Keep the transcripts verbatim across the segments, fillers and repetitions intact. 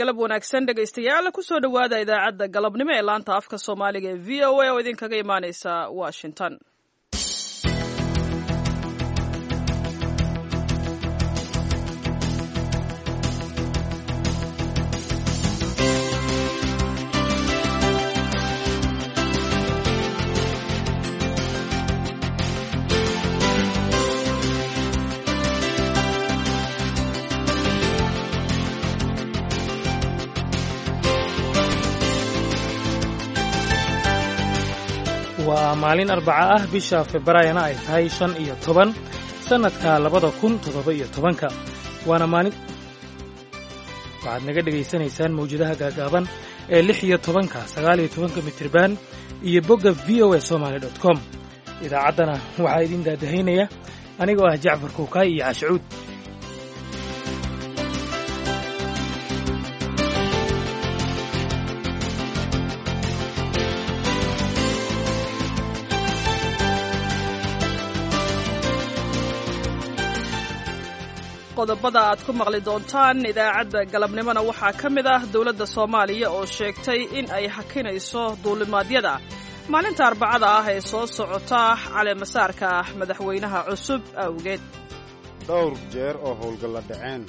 Galab wanaagsan, dhegaystayaal. Kusoo dhowaada idaacadda galabnimo ee laanta afka Soomaaliga ee V O A oo idinkaga imaaneysa Washington. Waa maalin Arbaca ah, bisha Februaarina ay tahay shan iyo toban sannadka labada kun toddoba iyo tobanka. Waana maalin waxaad naga dhegaysanaysaan mawjadaha gaagaaban ee lix iyo tobanka, sagaal iyo tobanka mitriban iyo bogga V O A Somaly dot com. Idaacaddana waxaa idin daadahaynaya anigoo ah Jacfar Kuukaay iyo Cashcuud. Qodobada aad ku maqli doontaan idaacadda galabnimona waxaa ka mid ah dowladda Soomaaliya oo sheegtay in ay hakinayso duulimaadyada maalinta Arbacada ah ee soo socota caleemasaarka madaxweynaha cusub awgeed. Dhowr jeer oo howlgalla dhaceen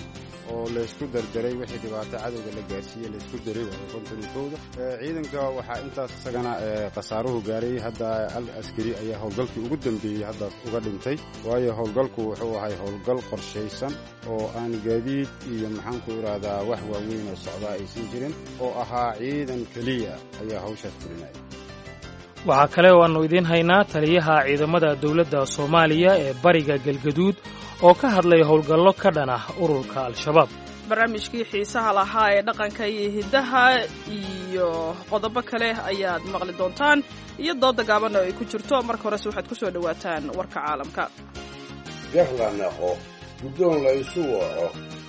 oo laysku dardaray wixii dhibaato cadowga la gaarsiiyey, laysku daray waayo konton iyo kowda ciidanka. Waxaa intaas isagana khasaaruhu gaaray hadda al askari ayaa howlgalkii ugu dambeeyey haddaas uga dhintay, waayo howlgalku wuxuu ahay howlgal qorshaysan oo aan gaadiid iyo maxaanku idhaahdaa wax waaweyn oo socdaa aysan jirin, oo ahaa ciidan keliya ayaa hawshaas fulinaya. Waxaa kale oo aannu idiin haynaa taliyaha ciidamada dowladda Soomaaliya ee bariga Galgaduud oo ka hadlay howlgallo ka dhan ah ururka Al-Shabaab. Barnaamijkii xiisaha lahaa ee dhaqanka iyo hiddaha iyo qodobo kale ayaad maqli doontaan iyo dooda gaaban oo ay ku jirto. Marka horese waxaad ku soo dhowaataan warka caalamka. Gar la naqo, guddoon la isu waco,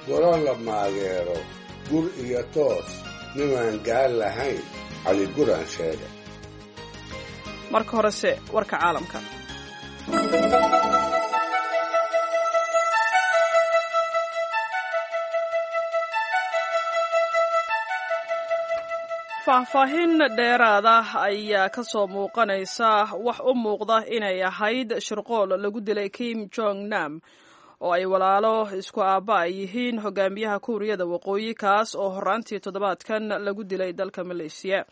goro la maageero, gur iyo toos nimaan gaal lahayn, Caliguraan sheega. Marka horese warka caalamka. Faahfaahin dheeraada ayaa ka soo muuqanaysa wax u muuqda inay ahayd shirqool lagu dilay Kim Jong Nam oo ay walaalo isku aabba ay yihiin hogaamiyaha Kuuriyada Waqooyi, kaas oo horraantii toddobaadkan lagu dilay dalka Maleeshiya.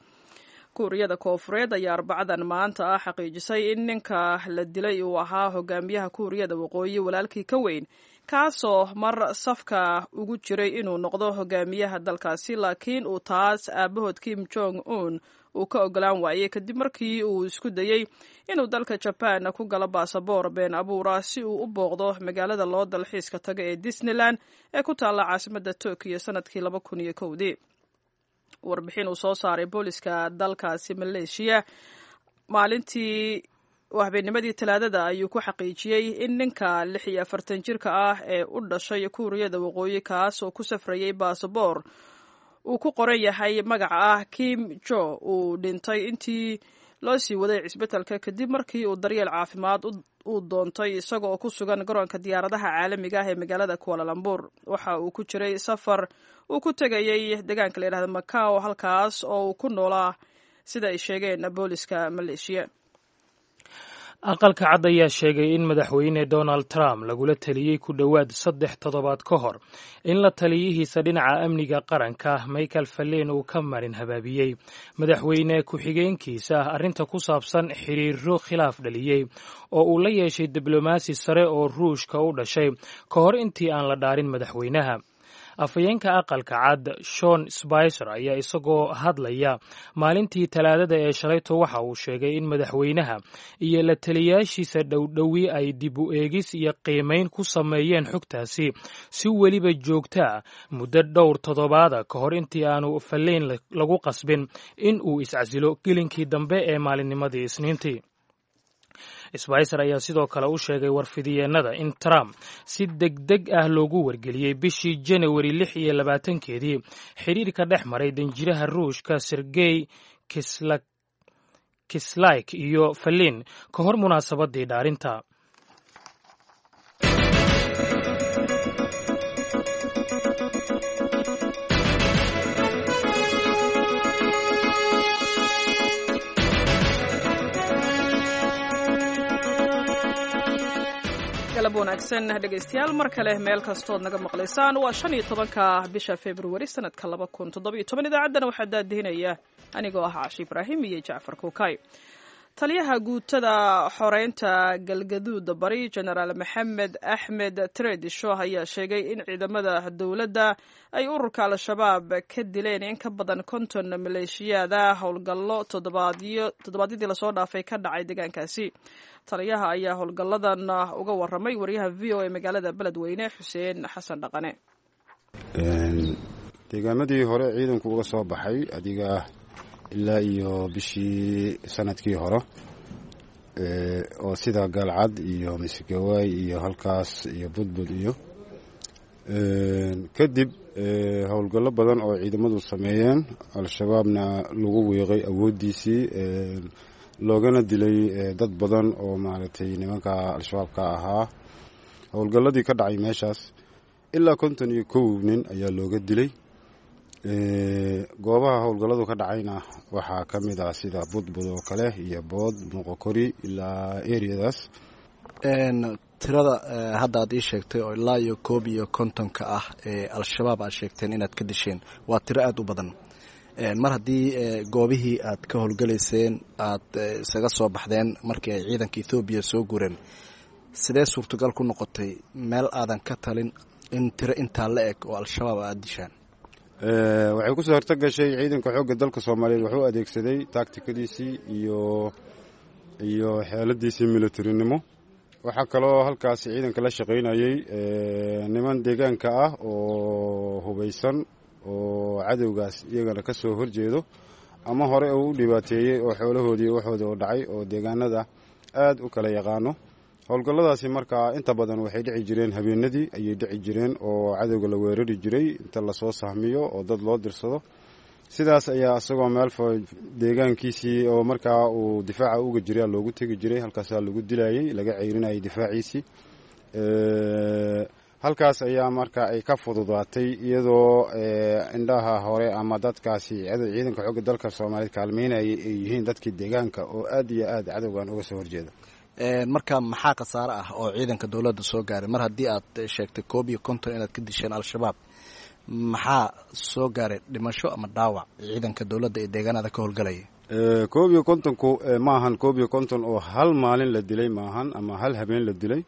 Kuuriyada Koofureed ayaa Arbacadan maanta ah xaqiijisay in ninka la dilay uu ahaa hogaamiyaha Kuuriyada Waqooyi walaalkii ka weyn, kaasoo mar safka ugu jiray inuu noqdo hogaamiyaha dalkaasi, laakiin uu taas aabahood Kim Jong Un uu ka ogolaan waayey kadib markii uu isku dayey inuu dalka Jaban ku galo baasaboor been abuura si uu u booqdo magaalada loo dalxiiska tago ee Disneyland ee ku taalla caasimadda Tokiyo sanadkii laba kun iyo kowdii. Warbixin uu soo saaray booliska dalkaasi Maleeshiya maalintii habeennimadii Talaadada ayuu ku xaqiijiyey in ninka lix iyo afartan jirka ah ee u dhashay Kuuriyada Waqooyi, kaas oo ku safrayey baasaboor uu ku qoran yahay magaca ah Kim Jo, uu dhintay intii loo sii waday cisbitalka kadib markii uu daryeel caafimaad uu doontay isaga oo ku sugan garoonka diyaaradaha caalamiga ah ee magaalada Kualalambur. Waxa uu ku jiray safar uu ku tegayey deegaanka la yidhahda Macao, halkaas oo uu ku noolaa, sida ay sheegeen booliska Maleeshiya. Aqalka Cad ayaa sheegay in Madaxweyne Donald Trump lagula taliyey ku dhowaad saddex toddobaad ka hor in la taliyihiisa dhinaca amniga qaranka Michael Fallen uu ka marin habaabiyey madaxweyne ku-xigeenkiisa arrinta ku saabsan xiriiro khilaaf dhaliyey oo uu la yeeshay diblomaasi sare oo Ruushka u dhashay ka hor intii aan la dhaarin madaxweynaha. Afhayeenka Aqalka Cad Shon Spicer ayaa isagoo hadlaya maalintii Talaadada ee shalayto waxa uu sheegay in madaxweynaha iyo la taliyaashiisa dhowdhowi ay dib u eegis iyo qiimayn ku sameeyeen xogtaasi si weliba joogta ah muddo dhowr toddobaada ka hor intii aanu Falleyn lagu qasbin in uu iscasilo gelinkii dambe ee maalinnimadii Isniintii. Sbicer ayaa sidoo kale u sheegay warfidiyeennada in Trump si degdeg ah loogu wargeliyey bishii Janawari lix iyo labaatankeedii xidhiirka dhex maray danjiraha Ruushka Sergey Kislyak iyo Falin ka hor munaasabadii dhaarinta. Galab wanaagsan dhegaystayaal, mar kale meel kastood naga maqlaysaan. Waa shan iyo tobanka bisha Februari sanadka laba kun toddobiyo toban. Idaacaddana waxaa daadihinaya anigoo ah Cashi Ibraahim iyo Jacfar Kuukay. Taliyaha guutada xoreynta Galgaduud Bari, Genaraal Maxamed Axmed Tredisho, ayaa sheegay in ciidamada dowladda ay ururka Al-Shabaab ka dileen in ka badan konton maleeshiyaada howlgallo toddobaadyadii lasoo dhaafay ka dhacay deegaankaasi. Taliyaha ayaa howlgalladan uga waramay wariyaha V O A magaalada Beledweyne, Xuseen Xasan Dhaqane. Deegaamadii hore ciidanku uga soo baxay adiga ilaa iyo bishii sanadkii hore, oo sida Gaalcad iyo Misigawaay iyo halkaas iyo Budbud iyo kadib howlgallo badan oo ciidamadu sameeyeen, Al-Shabaabna lagu wiiqay awooddiisii, loogana dilay dad badan oo maaragtay nimanka Al-Shabaabka ahaa. Howlgalladii ka dhacay meeshaas ilaa konton iyo kow nin ayaa looga dilay. Goobaha howlgalladu ka dhacayna waxaa ka mid ah sida Budbud oo kale iyo Bood, Muuqokori ilaa eriyadaas. Tirada hadda aad ii sheegtay oo ilaa iyo koob iyo kontonka ah ee Al-Shabaab aad sheegteen inaad ka disheen waa tiro aada u badan. Mar haddii goobihii aad ka howlgalayseen aad isaga soo baxdeen markii ay ciidanka Ethoobiya soo gureen, sidee suurtagal ku noqotay meel aadan ka talin in tiro intaa la eg oo Al-Shabaab aada dishaan? Waxay ku soo horto gashay ciidanka xoogga dalka Soomaaliyeed wuxuu adeegsaday taagtikadiisii iyo iyo xeeladiisii militarinimo. Waxaa kaloo halkaasi ciidanka la shaqaynayey niman deegaanka ah oo hubaysan oo cadowgaas iyagana ka soo horjeedo ama hore uu u dhibaateeyey oo xoolahoodii waxooda oo dhacay oo deegaanada aad u kala yaqaano. Howlgalladaasi markaa inta badan waxay dhici jireen habeenadii ayay dhici jireen, oo cadowga la weerari jiray inta lasoo sahmiyo oo dad loo dirsado. Sidaas ayaa isagoo meel deegaankiisii oo markaa uu difaaca uga jiray loogu tegi jiray, halkaasaa lagu dilayey, laga ceyrinayay difaaciisii. Halkaas ayaa marka ay ka fududaatay, iyadoo indhaha hore ama dadkaasi ciidanka xoogga dalka Soomaaliyeed kaalmeynayay ay yihiin dadkii deegaanka oo aad iyo aad cadowgan uga soo horjeeda. Marka maxaa khasaare ah oo ciidanka dowladda soo gaaray? Mar haddii aad sheegtay koob iyo konton inaad ka disheen Al-Shabaab, maxaa soo gaaray dhimasho ama dhaawac ciidanka dowladda ee deegaanada ka howlgalaya? Koob iyo kontonku maahan koob iyo konton oo hal maalin la dilay maahan ama hal habeen la dilay.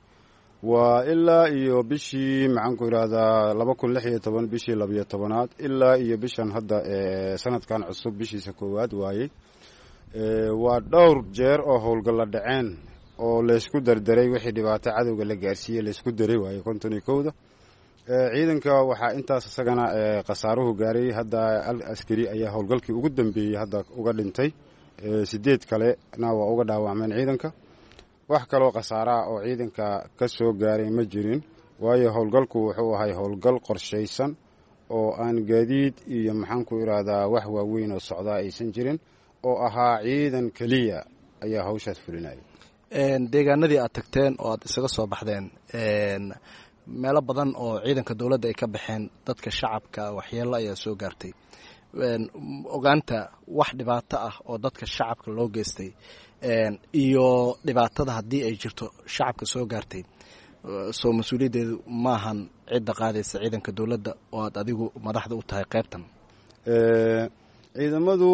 Waa ilaa iyo bishii, maxaanku idhaahdaa, laba kun lix iyo toban bishii labiyo tobanaad ilaa iyo bishan hadda sanadkan cusub bishiisa koowaad waayey. Waa dhowr jeer oo howlgalla dhaceen oo laysku dardaray, wixii dhibaato cadowga la gaarsiiyey laysku daray waaye konton iyo kowda. Ciidanka waxaa intaas isagana khasaaruhu gaaray hadda al askari ayaa howlgalkii ugu dambeeyey hadda uga dhintay, sideed kalena waa uga dhaawacmeen ciidanka. Wax kaloo khasaaraha oo ciidanka ka soo gaaray ma jirin, waayo howlgalku wuxuu ahay howlgal qorshaysan oo aan gaadiid iyo maxaanku idhaahdaa wax waaweyn oo socdaa aysan jirin, oo ahaa ciidan keliya ayaa hawshaas fulinaya. Deegaanadii aad tagteen oo aad isaga soo baxdeen, meelo badan oo ciidanka dowladda ay ka baxeen dadka shacabka waxyeello ayaa soo gaartay. Ogaanta wax dhibaato ah oo dadka shacabka loo geystay iyo dhibaatada haddii ay jirto shacabka soo gaartay, soo mas-uuliyaddeedu maahan cidda qaadaysa ciidanka dowladda oo aad adigu madaxda u tahay qaybtan? Ciidamadu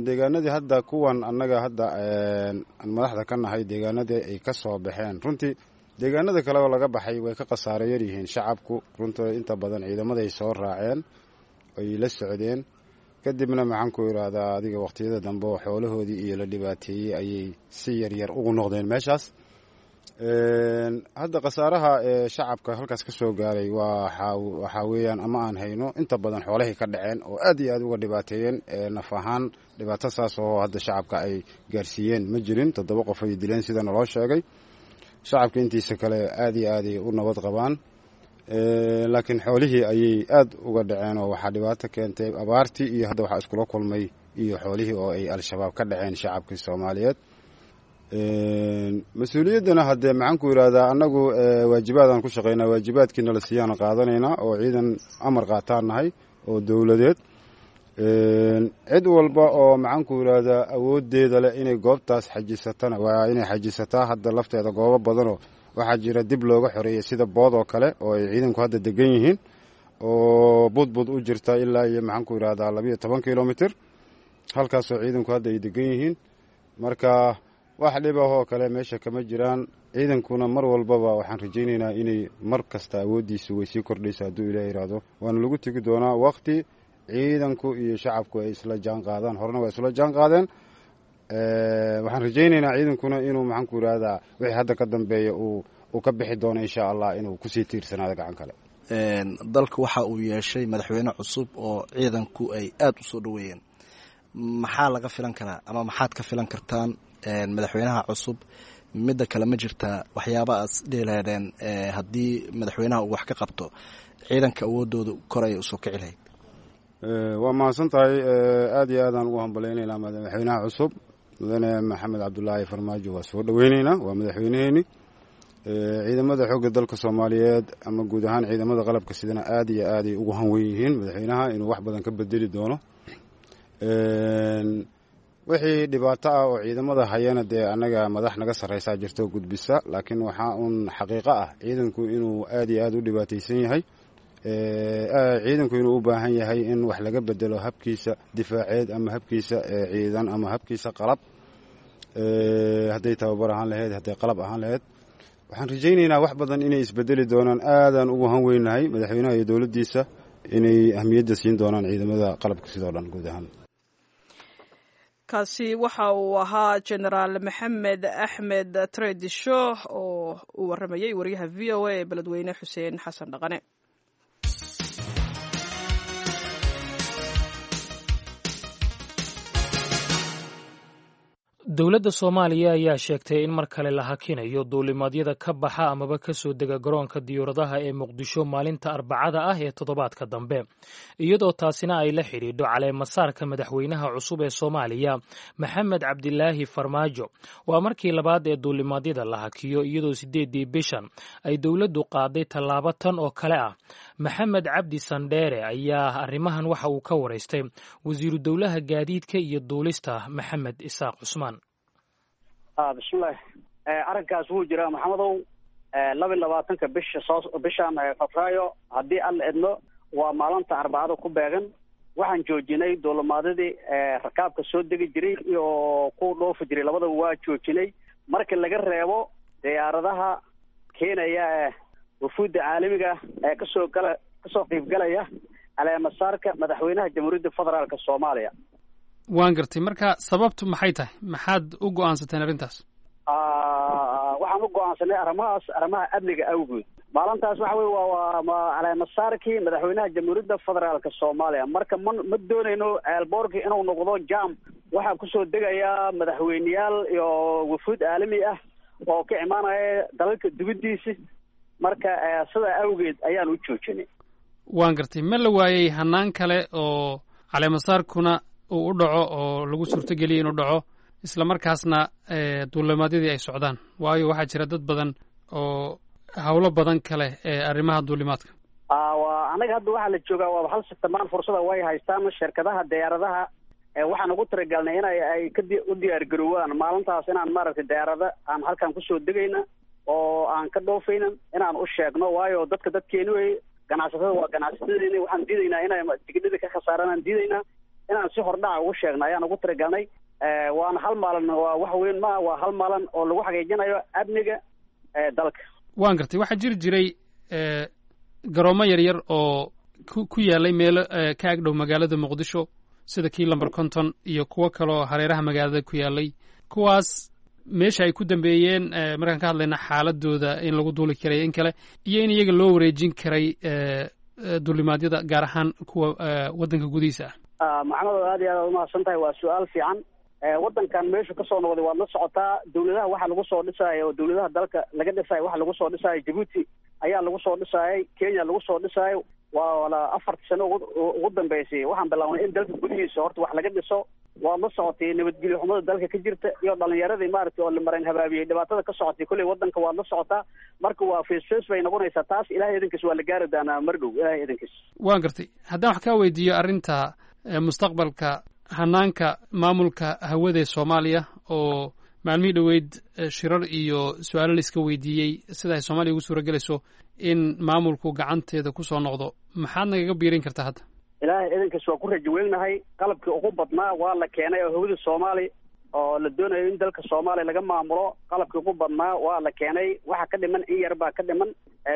deegaanadii hadda kuwan annaga hadda aan madaxda ka nahay, deegaanadii ay ka soo baxeen, runtii deegaanada kale oo laga baxay way ka khasaaro yar yihiin shacabku. Runtii inta badan ciidamaday soo raaceen ay la socdeen, kadibna maxaanku idhaahdaa adiga waqtiyada dambe oo xoolahoodii iyo la dhibaateeyey ayay si yaryar ugu noqdeen meeshaas. Hadda khasaaraha ee shacabka halkaas ka soo gaaray waxaa weeyaan ama aan hayno inta badan xoolahay ka dhaceen oo aad iyo aad uga dhibaateeyeen. Naf ahaan dhibaato saas oo hadda shacabka ay gaarsiiyeen ma jirin. Toddoba qof ay dileen sida naloo sheegay. Shacabka intiisa kale aad iyo aaday u nabad qabaan, laakiin xoolihii ayay aad uga dhaceen oo waxaa dhibaato keentay abaartii iyo hadda waxaa iskula kulmay iyo xoolihii oo ay Al-Shabaab ka dhaceen shacabkii Soomaaliyeed. Mas-uuliyaddana haddee maxaanku idhaahdaa annagu waajibaadaan ku shaqaynaa, waajibaadkiina la siiyaan qaadanaynaa oo ciidan amar qaataan nahay oo dowladeed. Cid walba oo maxaanku idhaahdaa awooddeeda leh inay goobtaas xajisatana waa inay xajisataa. Hadda lafteeda goobo badanoo Waxaa jira dib looga xoreeyey sida Bood oo kale oo ay ciidanku hadda degan yihiin, oo Budbud u jirta ilaa iyo maxaanku yidhahdaa labiyo toban kilomitr, halkaasoo ciidanku hadda ay degan yihiin. Marka wax dhib ah oo kale meesha kama jiraan. Ciidankuna mar walbaba waxaan rajaynaynaa inay mar kasta awooddiisu way sii kordhaysa hadduu Ilaah yidhaahdo, waana lagu tegi doonaa waqti ciidanku iyo shacabku ay isla jaan qaadaan. Horena waa isla jaan qaadeen. Waxaan rajaynaynaa ciidankuna inuu maxaanku yidhahdaa wixii hadda ka dambeeya uu uu ka bixi doono insha Allah inuu kusii tiirsanaado gacan kale. Dalka waxa uu yeeshay madaxweyne cusub oo ciidanku ay aada u soo dhoweeyeen. Maxaa laga filan karaa ama maxaad ka filan kartaan madaxweynaha cusub? Midda kale, ma jirtaa waxyaaba aas dhihi lahaydeen haddii madaxweynaha uu wax ka qabto ciidanka awoodooda kor ayay usoo kici lahayd? Waa mahadsan tahay. Aada iyo aadaan ugu hambalaynaynaa madaxweynaha cusub, Mudane Maxamed Cabdulaahi Farmaajo. Waa soo dhoweyneynaa, waa madaxweyneheeni. Ciidamada xoogga dalka Soomaaliyeed ama guud ahaan ciidamada qalabka sidana aada iyo aaday ugu hanwen yihiin madaxweynaha inuu wax badan ka bedeli doono. Wixii dhibaato ah oo ciidamada hayana dee annaga madax naga sarreysaa jirto gudbisa, laakiin waxaa uun xaqiiqo ah ciidanku inuu aada iyo aada u dhibaataysan yahay, ciidanku inuu u baahan yahay in wax laga bedelo habkiisa difaaceed ama habkiisa ciidan ama habkiisa qalab, hadday tababar ahaan lahayd, hadday qalab ahaan lahayd. Waxaan rajaynaynaa wax badan inay isbedeli doonaan. Aadaan ugu han weynahay madaxweynaha iyo dowladdiisa inay ahmiyadda siin doonaan ciidamada qalabka sidoo dhan guud ahaan. Kaasi waxa uu ahaa Genaraal Maxamed Axmed Tredisho oo uu waramayey wariyaha V O A ee Beledweyne, Xuseen Xasan Dhaqane. Dowladda Soomaaliya ayaa sheegtay in mar kale la hakinayo duulimaadyada ka baxa amaba ka soo dega garoonka diyuuradaha ee Muqdisho maalinta Arbacada ah ee toddobaadka dambe, iyadoo taasina ay la xidhiidho caleemasaarka madaxweynaha cusub ee Soomaaliya, Maxamed Cabdilaahi Farmaajo. Waa markii labaad ee duulimaadyada la hakiyo, iyadoo sideeddii bishan ay dowladdu qaaday tallaabo tan oo kale ah. Maxamed Cabdi Sandheere ayaa arrimahan waxa uu ka waraystay wasiiru dowlaha gaadiidka iyo duulista, Maxamed Isaaq Cusmaan. Bismillahi, arrinkaas wuu jiraa, Maxamedow. Laba iyo labaatanka bisha soo bishan Febraayo, haddii Alla idmo, waa maalinta Arbacada ku beegan, waxaan joojinay duulimaadadii rakaabka soo degi jiray iyo kuwa dhoofi jiray, labadaba waa joojinay, marka laga reebo diyaaradaha keenaya wafuudda caalamiga ee kasoo gala kasoo qiibgalaya caleemasaarka madaxweynaha Jamhuuriyadda Federaalka Soomaaliya. Waan gartay. Marka sababtu maxay tahay? Maxaad u go-aansateen arrintaas? Waxaan u go-aansanay arrimahaas arrimaha amniga awgood. Maalintaas waxa wey waa waa caleemasaarkii madaxweynaha Jamhuuriyadda Federaalka Soomaaliya. Marka ma ma doonayno eelboorki inuu noqdo jam. Waxaa kusoo degayaa madaxweyneyaal iyo wafuud caalami ah oo ka imaanaya dalalka dibaddiisi. Marka sidaa awgeed ayaan u joojinay. Waan gartay. Ma la waayey hanaan kale oo caleemasaarkuna uu u dhaco oo lagu suurtogeliyay inuu dhaco, isla markaasna duulimaadyadii ay socdaan? Waayo waxaa jira dad badan oo howlo badan kale ee arrimaha duulimaadka. Wa anaga hadda waxaa la joogaa waaba hal sitamaan, fursada way haystaan shirkadaha diyaaradaha. Waxaan ugu talagalnay inay ay kadi u diyaargaroowaan maalintaas inaan maaragtay diyaarada aan halkan kusoo degayna oo aan ka dhoofayna inaan u sheegno, waayo dadka dadkeeni wey, ganacsatada waa ganacsatadeeni. Waxaan diidaynaa inay tigidhada ka khasaaraan, aan diidaynaa inaan si hordhaca ugu sheegno ayaan ugu talagalnay. Waana hal maalin, waa wax weyn maa, waa hal maalin oo lagu xaqiijinayo amniga dalka. Waan gartay. Waxaa jiri jiray garoomo yaryar oo ku ku yaalay meelo ka ag dhow magaalada Muqdisho, sida kii lamber konton iyo kuwo kaleoo hareeraha magaalada ku yaalay. Kuwaas meesha ay ku dambeeyeen, markaan ka hadlayna xaaladooda in lagu duuli karay in kale iyo in iyaga loo wareejin karay duulimaadyada, gaar ahaan kuwa waddanka gudihiisa ah? Maxamed, aad iyo aad aad umahadsan tahay, waa su-aal fiican. Waddankan meeshu kasoo noqday waad la socotaa. Dawladaha waxaa lagu soo dhisaayo oo dawladaha dalka laga dhisaayo waxaa lagu soo dhisaayo Jabuuti ayaa lagu soo dhisaayay, Kenya lagu soo dhisaayo. Waa la afartii sano ugu ugu dambeysay waxaan bilaabnay in dalka gudihiisa horta wax laga dhiso. Waad la socotay nabadgelyo xumada dalka ka jirta iyo dhalinyaradii maaragtay oo la maran habaabiyey, dhibaatada ka socotay kolley waddanka waad la socotaa. Marka waa face face bay noqonaysaa taas. Ilahay idinkiis waa la gaari doonaa mar dhow, Ilahay idinkiis. Waan gartay. Haddaan wax kaa weydiiyo arrinta mustaqbalka hanaanka maamulka hawada ee Soomaaliya oo Maalmihii dhoweyd shirar iyo su-aalo la iska weydiiyey sida ay Soomaaliya ugu suura gelayso in maamulku gacanteeda kusoo noqdo. Maxaad nagaga biirin kartaa hadda? Ilaahay idankiis waa ku rajo weynahay. Qalabkii ugu badnaa waa la keenay oo hawada Soomaaliya oo la doonayo in dalka Soomaaliya laga maamulo, qalabkii ugu badnaa waa la keenay. Waxa ka dhiman in yar baa ka dhiman.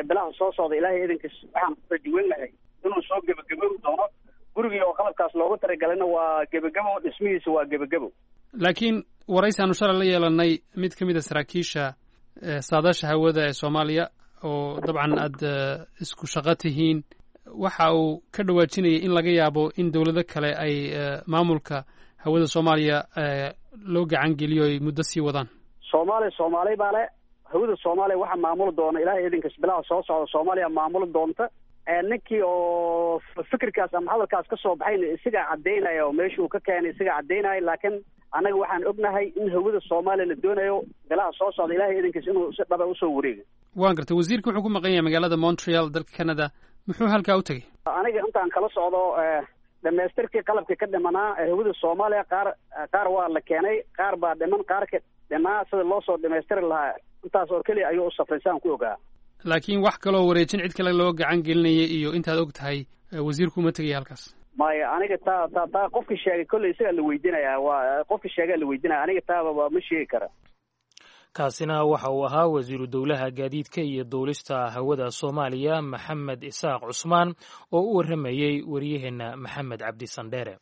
Bilaha soo socda ilaahay idankiis waxaan ku rajo weynahay inuu soo gebagabowi doono. Gurigii oo qalabkaas loogu talagalana waa gebagabo, dhismihiisa waa gebagabo. Laakiin waraysi aanu shalay la yeelanay mid ka mid a saraakiisha saadaasha hawada ee Soomaaliya, oo dabcan aad isku shaqo tihiin, waxa uu ka dhawaajinayay in laga yaabo in dowlado kale ay maamulka hawada Soomaaliya loo gacan geliyo ay muddo sii wadaan. Soomaaliya Soomaali baa le hawada Soomaaliya waxa maamuli doona ilaahay idinkas bilaha soo socda Soomaaliya maamuli doonta. Ninkii oo fikirkaas ama hadalkaas ka soo baxayna isagaa caddaynaya oo meesha uu ka keenay isagaa caddaynaya, laakiin annaga waxaan ognahay in hawada Soomaaliya la doonayo bilaha soo socda ilaahay idinkiis inuu si dhaba usoo wareego. Waan gartay. Wasiirka wuxuu ku maqan yahay magaalada Montreal, dalka Canada. Muxuu halkaa u tegey? Aniga intaan kala socdo dhamaystirkii qalabkii ka dhimanaa hawada Soomaaliya qaar qaar waa la keenay, qaar baa dhiman, qaarka dhimaa sida loo soo dhamaystiri lahaa intaas oo keliya ayuu u safray saan ku ogaa. Laakiin wax kaloo wareejin cid kale loo gacan gelinaya iyo intaad og tahay wasiirku uma tegaya halkaas? Maya, aniga taa taa taa qofkii sheegay kolley isagaa la weydiinayaa, waa qofkii sheegaa la weydiinaya, aniga taaba ma sheegi kara. Kaasina waxa uu ahaa wasiiru dowlaha gaadiidka iyo duulista hawada Soomaaliya Maxamed Isaaq Cusmaan oo u warramayey wariyaheenna Maxamed Cabdi Sandheere.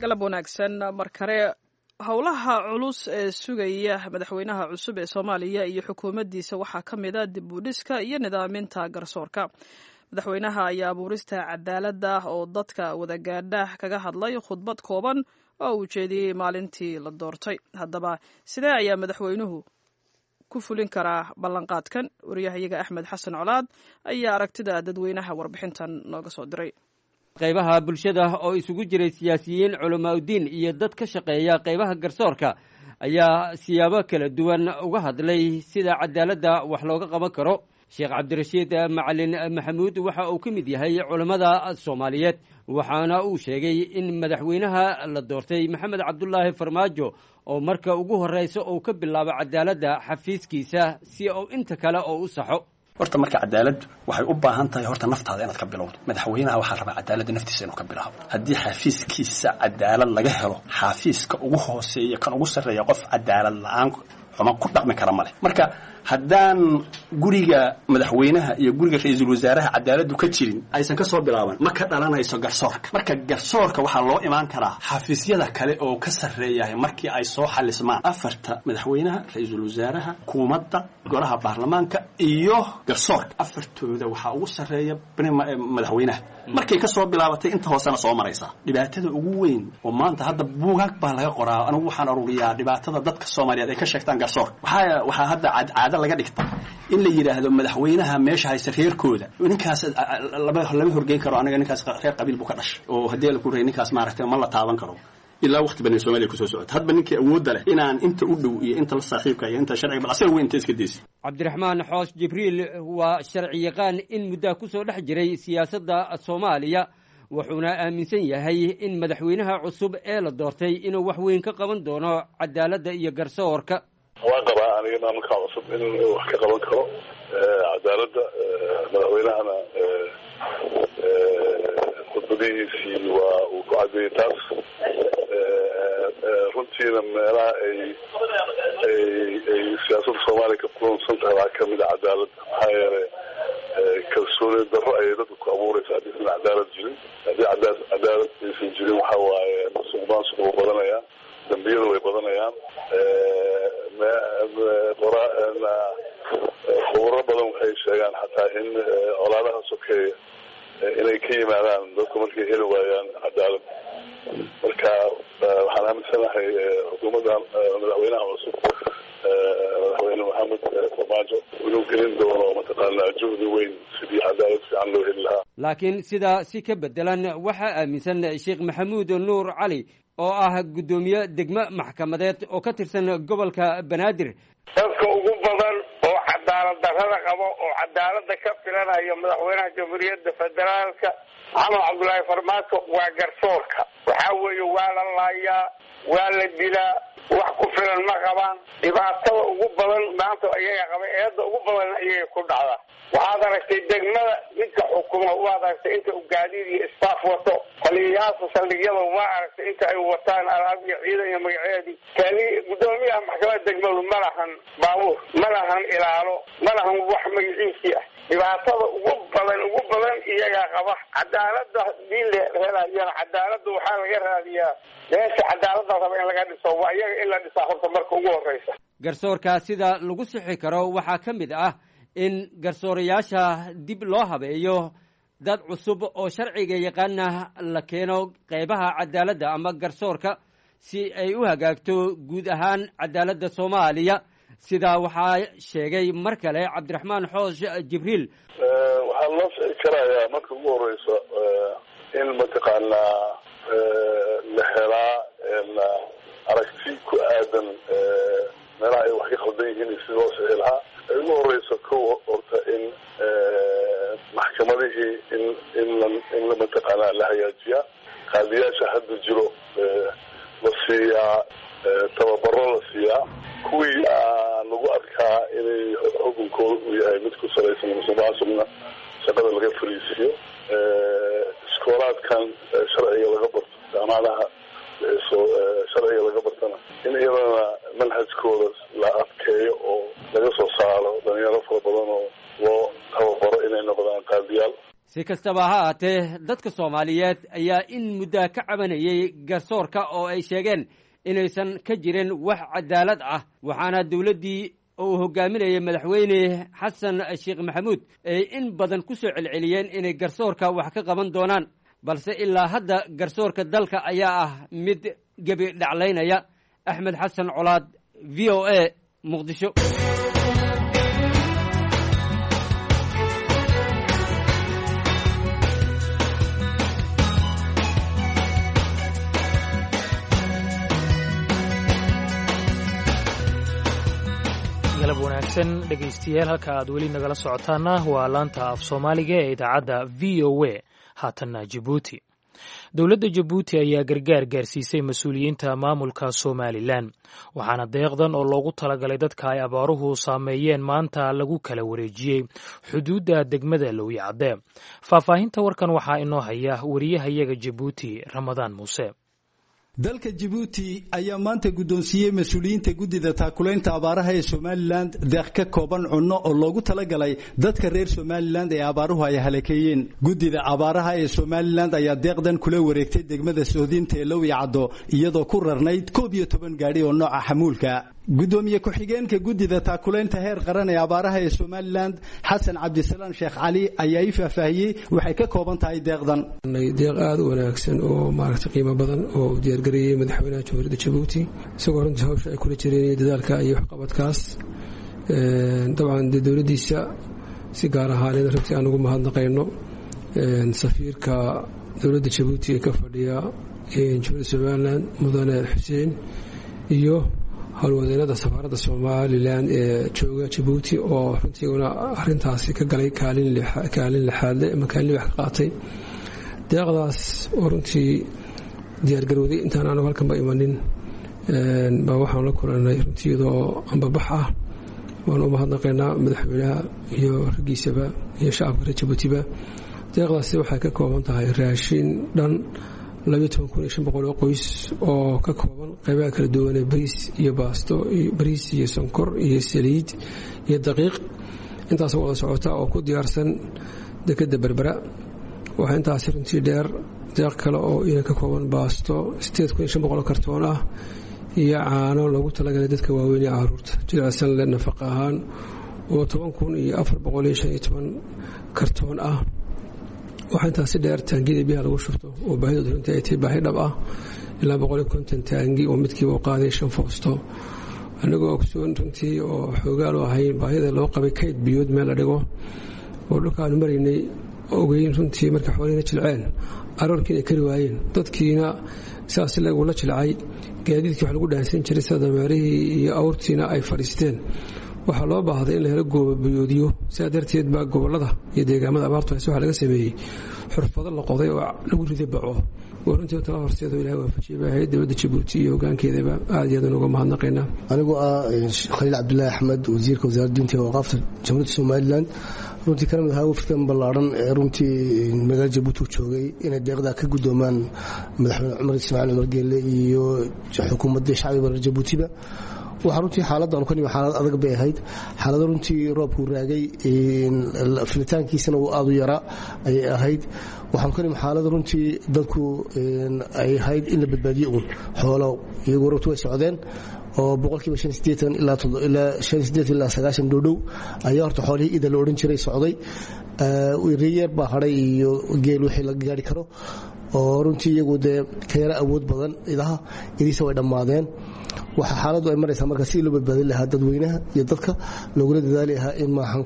Galab wanaagsan mar kale. Howlaha culus ee sugaya madaxweynaha cusub ee Soomaaliya iyo xukuumaddiisa waxaa ka mid a dib u dhiska iyo nidaaminta garsoorka. Madaxweynaha ayaa abuurista cadaaladda oo dadka wadagaadha kaga hadlay khudbad kooban oo uu jeediyey maalintii la doortay. Haddaba sidee ayaa madaxweynuhu ku fulin karaa ballanqaadkan? Wariyahayaga Axmed Xasan Colaad ayaa aragtida dadweynaha warbixintan nooga soo diray. Qaybaha bulshada oo isugu jiray siyaasiyiin, culamaauddiin iyo dad ka shaqeeya qaybaha garsoorka ayaa siyaabo kala duwan uga hadlay sida cadaaladda wax looga qaban karo. Sheekh Cabdirashiid Macalin Maxamuud waxa uu ka mid yahay culammada Soomaaliyeed, waxaana uu sheegay in madaxweynaha la doortay Maxamed Cabdulaahi Farmaajo oo marka ugu horreysa uu ka bilaabo cadaaladda xafiiskiisa si uu inta kale oo u saxo. Horta marka cadaaladdu waxay u baahan tahay horta naftaada inaad ka bilowdo. Madaxweynaha waxaa rabaa cadaaladda naftiisa inuu ka bilaabo. Haddii xafiiskiisa cadaalad laga helo, xafiiska ugu hooseeya kan ugu sarreeya qof cadaalad la-aan xuma ku dhaqmi kara male. Marka haddaan guriga madaxweynaha iyo guriga ra-iisul wasaaraha cadaaladdu ka jirin, aysan ka soo bilaaban, ma ka dhalanayso garsoorka. Marka garsoorka waxaa loo imaan karaa xafiisyada kale oo ka sarreeyahay markii ay soo xalismaan afarta: madaxweynaha, ra-iisul wasaaraha, xukuumadda, golaha baarlamaanka iyo garsoorka. Afartooda waxaa ugu sarreeya madaxweynaha. Markay ka soo bilaabatay inta hoosena soo maraysaa. Dhibaatada ugu weyn oo maanta hadda buugaag baa laga qoraa, anigu waxaan ururiyaa dhibaatada dadka Soomaaliyeed ay ka sheegtaan garsoorka. Waxaa waxaa hadda cadcaado laga dhigta in la yidhaahdo madaxweynaha meesha haysta reerkooda ninkaas lama lama horgeyn karo, aniga ninkaas reer qabiil buu ka dhashay oo haddii la ku rey ninkaas maaragtay ma la taaban karo. Ilaa waqti badan Soomaaliya kusoo socota hadba ninkii awoodda leh inaan inta u dhow iyo inta la saaxiibka iyo inta sharciga bal asaga weyn inta iska deysa. Cabdiraxmaan Xoos Jibriil waa sharci yaqaan in muddaa ku soo dhex jiray siyaasadda Soomaaliya, wuxuuna aaminsan yahay in madaxweynaha cusub ee la doortay inuu wax weyn ka qaban doono cadaaladda iyo garsoorka. Waan qabaa aniga maamulka cusub inuu wax ka qaban karo cadaaladda. Madaxweynahana khudbadihiisii waa uu ku cadeeyey taas. Runtiina meelaha ay ay ay siyaasadda Soomaaliya ka kulunsan tahay waxaa kamid a cadaaladda. Maxaa yeelay kalsooni darro ayay dadka ku abuureysa haddii san cadaalad jirin. Haddii cadaa cadaalad aysan jirin waxa waaye musuq maasuq wuu badanayaa, dambiyada way badanayaan. Khuburo badan waxay sheegaan xataa in colaadaha sokeeya inay ka yimaadaan dadku markay heli waayaan cadaalad. Marka waxaan aaminsanahay xukuumadda madaxweynaha cusub, madaxweyne Maxamed Farmaajo, inuu gelin doono mataqaanaa juhdi weyn sidii cadaalad fiican loo heli lahaa. Laakiin sidaa si ka bedelan waxaa aaminsan Sheekh Maxamuud Nuur Cali oo ah guddoomiye degmo maxkamadeed oo ka tirsan gobolka Banaadir. Dadka ugu badan oo cadaalad Cadaalad darrada qabo oo cadaaladda ka filanayo madaxweynaha jamhuuriyadda federaalka Maxamed Cabdullaahi Farmaajo waa garsoorka. Waxaa weeye waa la laayaa, waa la dilaa, wax ku filan ma qabaan. Dhibaatada ugu badan maanta ayaga qaba, eedda ugu badan ayaga ku dhacda. Waxaad aragtay degmada ninka xukuma, waad aragtay inta uu gaadiid iyo staff wato, taliyayaasha saldhigyada waa aragtay inta ay wataan alaab iyo ciidan iyo magaceedii. Tali guddoomiyaha maxkamadda degmadu ma lahan baabuur, ma lahan ilaalo, ma lahan wax magaciisii ah. Dhibaatada ugu badan ugu badan iyagaa qaba. Cadaaladda hadii la helayana, cadaaladda waxaa laga raadiyaa meesha cadaaladda raba in laga dhiso, waa iyaga in la dhisaa horta marka ugu horeysa. Garsoorka sida lagu sixi karo waxaa ka mid ah in garsoorayaasha dib loo habeeyo, dad cusub oo sharciga yaqaana la keeno qeybaha cadaaladda ama garsoorka si ay u hagaagto guud ahaan cadaaladda Soomaaliya. Sidaa waxaa sheegay mar kale Cabdiraxmaan Xoosh Jibriil. Waxaa loo sixi karayaa marka ugu horeysa in mataqaanaa la helaa aragti ku aadan meelaha ay wax ka khaldan yihiin iyo sida loo sixi lahaa. Ay ugu horeyso kow horta in maxkamadihii in in la in la mataqaanaa la hagaajiyaa, qaadiyaasha hadda jiro la siiyaa tababaro, la siiyaa kuwii lagu arkaa inay xukunkooda uu yahay mid ku salaysan musuqmaasuqna shaqada laga fariisiiyo, iskoolaadkan sharciga laga barto, jaamacadaha soo sharciga laga bartana in iyadana manhajkooda la adkeeyo oo laga soo saaro dhalinyaro fara badan oo loo tababaro inay noqdaan qaadiyaal. Si kastaba ha ahaatee, dadka Soomaaliyeed ayaa in muddaa ka cabanayay garsoorka oo ay sheegeen inaysan ka jirin wax cadaalad ah, waxaana dowladdii oo uu hogaaminayay madaxweyne Xasan Sheekh Maxamuud ay in badan ku soo celceliyeen inay garsoorka wax ka qaban doonaan, balse ilaa hadda garsoorka dalka ayaa ah mid gebi dhaclaynaya. Axmed Xasan Colaad, V O A, Muqdisho. Galab wanaagsan dhegaystayaal, halka aad weli nagala socotaana waa laanta af Soomaaliga ee idaacadda V O A. Haatanna Jabuuti. Dowladda Jabuuti ayaa gargaar gaarsiisay mas-uuliyiinta maamulka Somalilan, waxaana deeqdan oo loogu talagalay dadka ay abaaruhu saameeyeen maanta lagu kala wareejiyey xuduudda degmada Lowyacadde. Faahfaahinta warkan waxaa inoo haya wariyahayaga Jabuuti, Ramadaan Muuse. Dalka Jabuuti ayaa maanta guddoonsiiyey mas-uuliyiinta guddida taakulaynta abaaraha ee Somalilan deeq ka kooban cunno oo loogu talagalay dadka reer Somalilan ee abaaruhu ay halakeeyeen. Guddida abaaraha ee Somalilan ayaa deeqdan kula wareegtay degmada Soodinta ee Lowyacaddo, iyadoo ku rarnayd koob iyo toban gaadhi oo nooca xamuulka. Gudoomiye ku-xigeenka guddida taakulaynta heer qaran ee abaaraha ee Somalilan, Xasan Cabdisalaan Sheekh Cali, ayaa ii faahfaahiyey waxay ka kooban tahay deeqdan. Deeq aada u wanaagsan oo maaragtay qiimo badan oo uu diyaargareeyey madaxweynaha jamhuuriyadda Jabuuti, isagoo runtii hawsha ay kula jireen iyo dadaalka iyo waxqabadkaas. Dabcan dee dowladdiisa si gaar ahaaneed runtii aan ugu mahadnaqayno safiirka dowladda Jabuuti ee ka fadhiya jamhuuriyadda Somalilan, mudane Xuseen, iyo howlwadeenada safaaradda Somalilan ee jooga Jabuuti oo runtiiguna arintaasi ka galay kaalin kaalin lixaadle ama kaalin libax ka qaatay deeqdaas oo runtii diyaargarowday. Intaan aanu halkanba imanin baa waxaan la kulanay runtii iyadoo ambabax ah. Waan u mahadnaqaynaa madaxweynaha iyo raggiisaba iyo shacabka reer Jabuutiba. Deeqdaasi waxay ka kooban tahay raashin dhan labiyo toban kun iyo shan boqol oo qoys oo ka kooban qaybaha kala duwan ee bariis iyo baasto, bariis iyo sonkor iyo saliid iyo daqiiq, intaas wada socota oo ku diyaarsan dekedda Berbera. Waxaa intaasi runtii dheer deeq kale oo ina ka kooban baasto sideed kun iyo shan boqol oo kartoon ah iyo caano loogu talagalay dadka waaweyn ee caruurta jilicsan leh nafaqa ahaan oo toban kun iyo afar boqol iyo shan iyo toban kartoon ah. Waxaa intaasi dheer taangiyada biyaha lagu shubto oo baahidooda runtii ay tahay baahi dhab ah, ilaa boqol iyo konton taangi oo midkiiba u qaaday shan foosto. Anagoo ogsoon runtii oo xoogaal u ahayn baahida loo qabay kayd biyood meel la dhigo oo dhulka aanu maraynay ogeyn runtii, markay xoolihina jilceen aroorkiina ay kari waayeen, dadkiina sidaas lagula jilcay, gaadiidkii wax lagu dhaansan jiray sida dameerihii iyo awrtiina ay fadhiisteen. Waxaa loo baahday in la helo gooba biyoodyo. Sidaa darteed baa gobolada iyo deegaamada abaartu hayse waxaa laga sameeyey xurfado la qoday oo lagu riday baco, oo runtii tala horseedo Ilahay waafajiyay bay ahayd. Dowladda Jabuuti iyo hogaankeedaba aad iyo aad uga mahadnaqaynaa. Anigoo ah Khaliil Cabdulaahi Axmed, wasiirka wasaaradda diinta iyo awqaafta Jamhuuriyadda Somalilan, runtii kana mid ahaa wafdikan ballaaran ee runtii magaalada Jabuuti u joogay inay deeqdaa ka guddoomaan madaxweyne Cumar Ismaaciil Cumar Geelle iyo xukuumadda shacbiga reer Jabuutiba. Waxaa runtii xaaladdan ka nimi xaalad adag bay ahayd, xaalado runtii roobkuu raagay, filitaankiisana uu aad u yaraa ayay ahayd. Waxaan ka nimi xaalad runtii dadku ay ahayd in la badbaadiyo uun xoolo, iyagu runtii way socdeen oo boqolkiiba shan sideetan ilaa ilaa shan sideetan ilaa sagaashan dhowdhow ayaa horta xoolihii ida la odhan jiray socday. Riyeer baa hadhay iyo geel wixii laga gaari karo oo runtii iyagu dee ka yara awood badan idaha, idiisa way dhammaadeen. Waxaa xaaladdu ay maraysaa marka sidii loo badbaadin lahaa dadweynaha iyo dadka loogula dadaali lahaa in maahan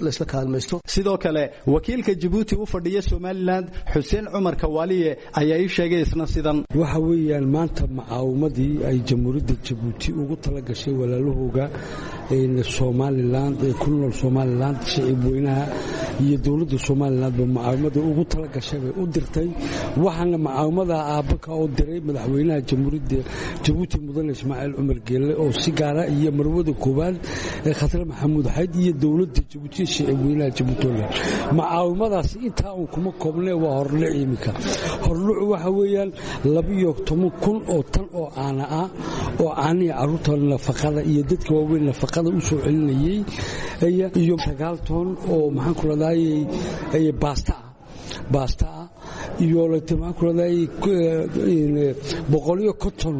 laysla kaalmaysto. Sidoo kale wakiilka Jabuuti u fadhiya Somalilan, Xuseen Cumar Kawaaliye, ayaa ii sheegay isna sidan. Waxa weeyaan maanta macaawimadii ay Jamhuuriyadda Jabuuti ugu tala gashay walaalahooga Somalilan ee ku nool Somalilan, shicib weynaha iyo dowladda Somalilandba macaawimada ugu tala gashay bay u dirtay. Waxaana macaawimada aabaka oo diray madaxweynaha Jamhuuriyadda Jabuuti, mudane Ismaaciil Cumar Geelle, oo si gaara iyo marwada koowaad ee Khatare Maxamuud Xayd iyo dowladda Jabuuti, shicib weynaha Jabuuti. Macaawimadaasi intaa uun kuma koobnee, waa horluc. Iminka horlucu waxa weeyaan labiyo toban kun oo tan oo caana ah, oo caanihii carruurta nafaqada iyo dadka waaweyn nafaqada u soo celinayey, iyo sagaal toon oo maxaan ku radayay baasta ah baasta ah iyo maxaan ku radayay boqol iyo konton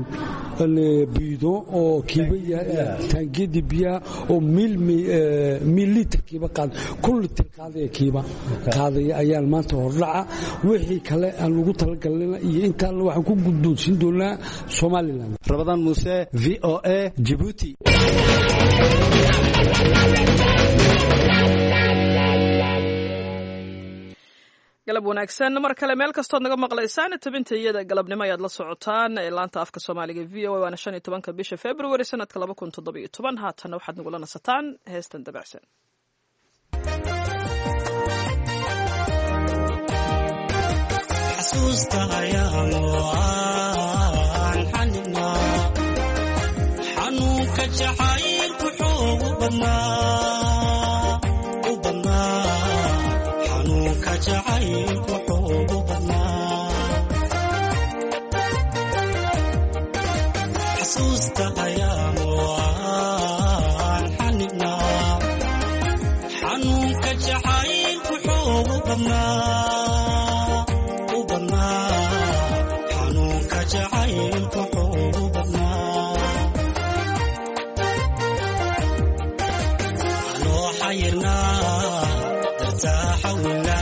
biido oo kiiba taangiyadii biyaha oo mil litir kiiba qaad kun litir qaadaya kiiba qaadaya ayaan maanta hordhaca. Wixii kale aan ugu talagalnayna iyo intaan waxaan ku guddoonsiin doonaa Somaliland. Rabadaan Muuse, V O A, Djibouti. Galab wanaagsan mar kale meel kastood naga maqlaysaan. Tabinta iyada galabnimo ayaad la socotaan ee laanta afka Soomaaliga V O A. Waana shan iyo tobanka bisha February sanadka laba kun toddobiyo toban. Haatanna waxaad nagula nasataan heestan dabacsan. Xasuusta ayaanu xaninaa, xanuunka jacaylku xoogu badnaa u badnaa, xanuunka jacaylku xoogu badnaa. Xasuusta ayaanu xaninaa, xanuunka jacaylku xoogu badnaa u badnaa, xanuunka jacaylku xoogu badnaa. Anoo xayirnaa dartaa xawila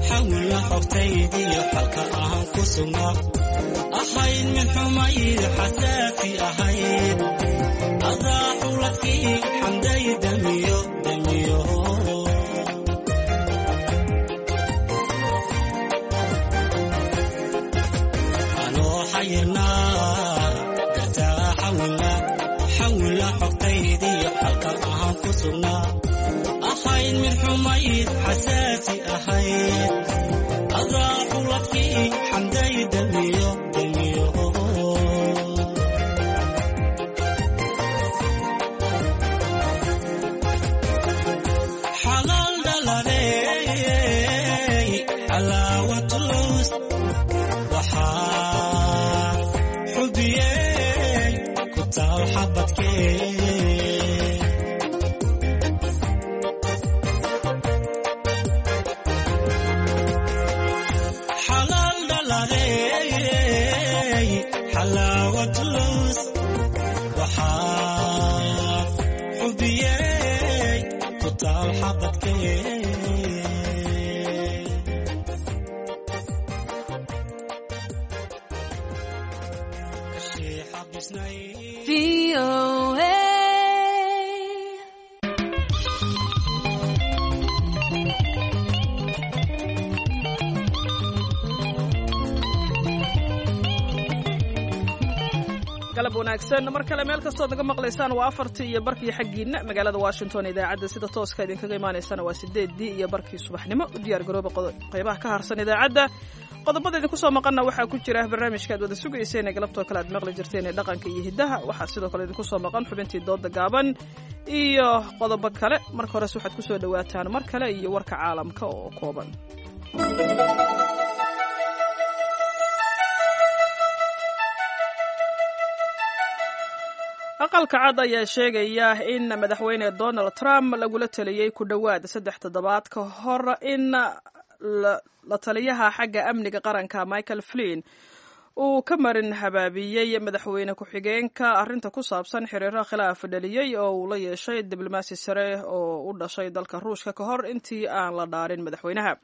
xawila xogtaydiyo xalka ahaan ku sugnaa, ahayd mid xumayd xasaasi ahayd, adaa xuladkii xamday damiyo damiyo. Anoo xayirnaa dartaa xawila xawila xogtaydiyo xalka ahaan ku sugnaa, ahayd mid xumayd xasaasi ahayd, adaa xuladkii xamday damiyo damiyo. Xalaal dhalaney xalaawatulus waxaa xubiyey ku taal xabadkee. Xalaal dhalaney xalaawatulus waxaa xubiyey ku taal xabadkee. Galab wanaagsan mar kale meel kastood naga maqlaysaan. Waa afartii iyo barkii xaggiina magaalada Washington. Idaacadda sida tooska idinkaga imaanaysana waa sideeddii iyo barkii subaxnimo. U diyaar garooba qaybaha ka harsan idaacadda. Qodobada idinku soo maqanna waxaa ku jira barnaamijka aad wada sugayseen ee galabtoo kale aad maqli jirteen ee dhaqanka iyo hiddaha. Waxaa sidoo kale idinku soo maqan xubintii dooda gaaban iyo qodobo kale. Marka hores waxaad ku soo dhowaataan mar kale iyo warka caalamka oo kooban. Aqalka Cad ayaa sheegaya in Madaxweyne Donald Trump lagula taliyey ku dhowaad saddex toddobaad ka hor in la taliyaha xagga amniga qaranka Michael Flynn uu ka marin habaabiyey madaxweyne ku-xigeenka arrinta ku saabsan xiriiro khilaaf dhaliyey oo uu la yeeshay diblomaasi sare oo u dhashay dalka Ruushka ka hor intii aan la dhaarin madaxweynaha.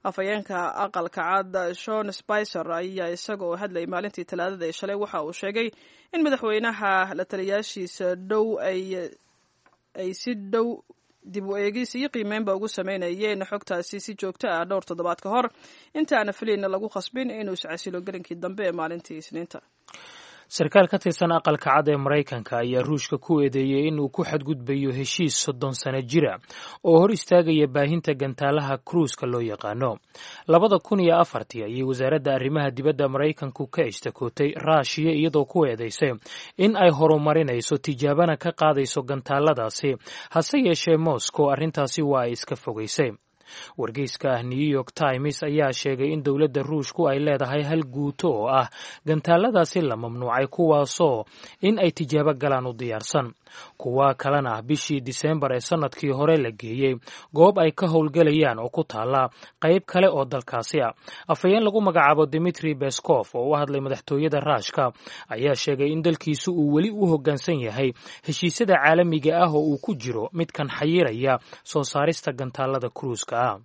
Afhayeenka Aqalka Cad Sean Spicer ayaa isaga oo hadlayay maalintii Talaadada ee shalay waxa uu sheegay in madaxweynaha la taliyaashiisa dhow ay ay si dhow dib u eegis iyo qiimeynba ugu sameynayeen xogtaasi si joogto ah dhowr toddobaad ka hor intaana Flynn lagu khasbin inuu iscasilo gelinkii dambe ee maalintii Isniinta. Sarkaal ka tirsan Aqalka Cad ee Maraykanka ayaa Ruushka ku eedeeyey inuu ku xadgudbayo heshiis soddon sano jira oo hor istaagaya baahinta gantaalaha kruuska loo yaqaano. Labada kun iyo afartii ayay wasaaradda arrimaha dibadda Maraykanku ka ishtakootay Raashiya, iyadoo ku eedeysay in ay horumarinayso tijaabana ka qaadayso gantaaladaasi. Hase yeeshee Moscow arrintaasi waa ay iska fogaysay. Wargeyska New York Times ayaa sheegay in dowladda Ruushku ay leedahay hal guuto oo ah gantaaladaasi la mamnuucay, kuwaasoo in ay tijaabo galaan u diyaarsan, kuwa kalena bishii Diseembar ee sannadkii hore la geeyey goob ay ka howlgelayaan oo ku taala qayb kale oo dalkaasi ah. Afhayeen lagu magacaabo Dimitri Beskov oo u hadlay madaxtooyada Raashka ayaa sheegay in dalkiisu uu weli u hoggaansan yahay heshiisyada caalamiga ah oo uu ku jiro midkan xayiraya soo saarista gantaalada kruuska ah.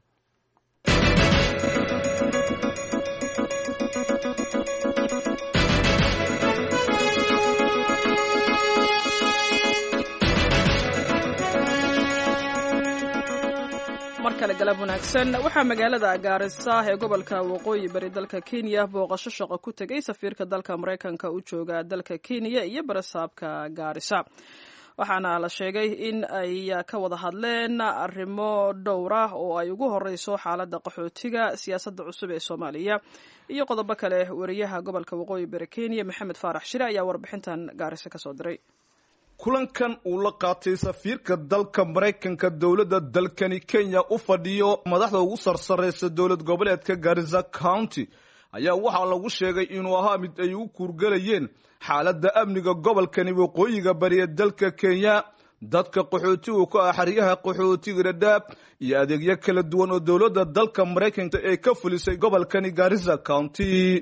Mar kale galab wanaagsan. Waxaa magaalada Gaarisa ee gobolka Waqooyi Bari dalka Kenya booqasho shaqo ku tegay safiirka dalka Maraykanka u jooga dalka Kenya iyo barasaabka Gaarisa, waxaana la sheegay in ay ka wada hadleen arrimo dhowr ah oo ay ugu horeyso xaaladda qaxootiga, siyaasadda cusub ee Soomaaliya iyo qodobo kale. Wariyaha gobolka Waqooyi Bari Kenya Maxamed Faarax Shire ayaa warbixintan Gaarisa kasoo diray. Kulankan uu la qaatay safiirka dalka Maraykanka dowladda dalkani Kenya u fadhiyo madaxda ugu sarsareysa dowlad goboleedka Garissa County ayaa waxaa lagu sheegay inuu ahaa mid ay u kuurgalayeen xaaladda amniga gobolkani waqooyiga bari ee dalka Kenya, dadka qaxootigu ka ah xeryaha qaxootiga Dhadhaab iyo adeegyo kala duwan oo dowladda dalka Maraykanka ee ka fulisay gobolkani Garissa County.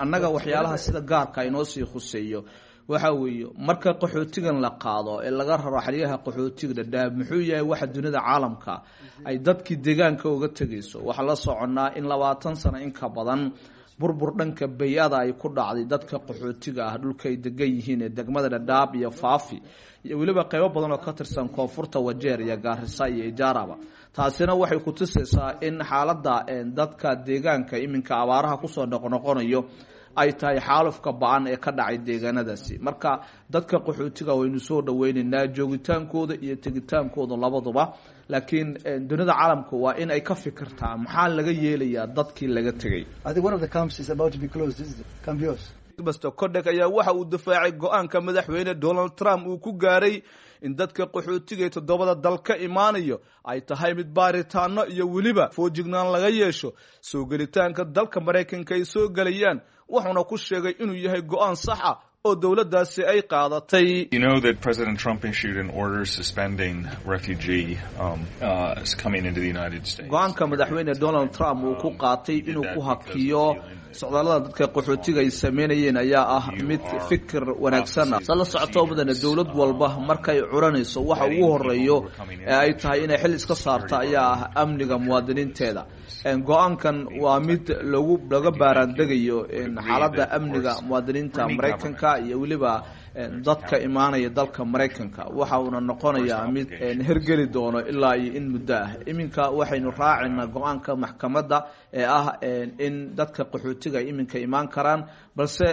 Annaga waxyaalaha sida gaarka inoo sii khuseeyo waxa weeye marka qaxootigan la qaado ee laga raro xeryaha qaxootiga Dhadhaab, muxuu yahay waxa dunida caalamka ay dadkii deegaanka uga tegayso? Waxaa la soconnaa in labaatan sano in ka badan burbur dhanka bay-ada ay ku dhacday dadka qaxootiga ah dhulka ay degan yihiin ee degmada Dhadhaab iyo Faafi iyo weliba qaybo badan oo ka tirsan koonfurta Wajeer iyo Gaarisa iyo Ijaaraba. Taasina waxay ku tusaysaa in xaaladda dadka deegaanka iminka abaaraha kusoo noqnoqonayo ay tahay xaalufka ba-an ee ka dhacay deegaanadaasi. Marka dadka qaxootiga waynu soo dhaweynaynaa joogitaankooda iyo tegitaankooda labaduba, laakiin dunida caalamku waa in ay ka fikirtaa maxaa laga yeelayaa dadkii laga tegay. Master Kodek ayaa waxa uu difaacay go-aanka madaxweyne Donald Trump uu ku gaaray in dadka qaxootiga ee toddobada dal ka imaanayo ay tahay mid baaritaano iyo weliba foojignaan laga yeesho soo gelitaanka dalka Maraykanka ay soo gelayaan, wuxuuna ku sheegay inuu yahay go-aan sax ah oo dowladdaasi ay qaadatay. You know that President Trump issued an order suspending refugee um, uh, coming into the United States. Go-aanka madaxweyne Donald Trump uu ku qaatay inuu ku hakiyo Socdaallada dadka qaxootiga ay sameynayeen ayaa ah mid fikir wanaagsan ah. Sa la socoto mudane, dowlad walba markay curanayso waxa ugu horeeyo ee ay tahay inay xil iska saarta ayaa ah amniga muwaadiniinteeda. Go-aankan waa mid lagu laga baaraandegayo xaaladda amniga muwaadiniinta Maraykanka iyo weliba dadka imaanaya dalka Maraykanka. Waxa uuna noqonayaa mid hergeli doono ilaa iyo in muddo ah. Iminka waxaynu raacaynaa go-aanka maxkamadda ee ah in dadka qaxootiga ay iminka imaan karaan, balse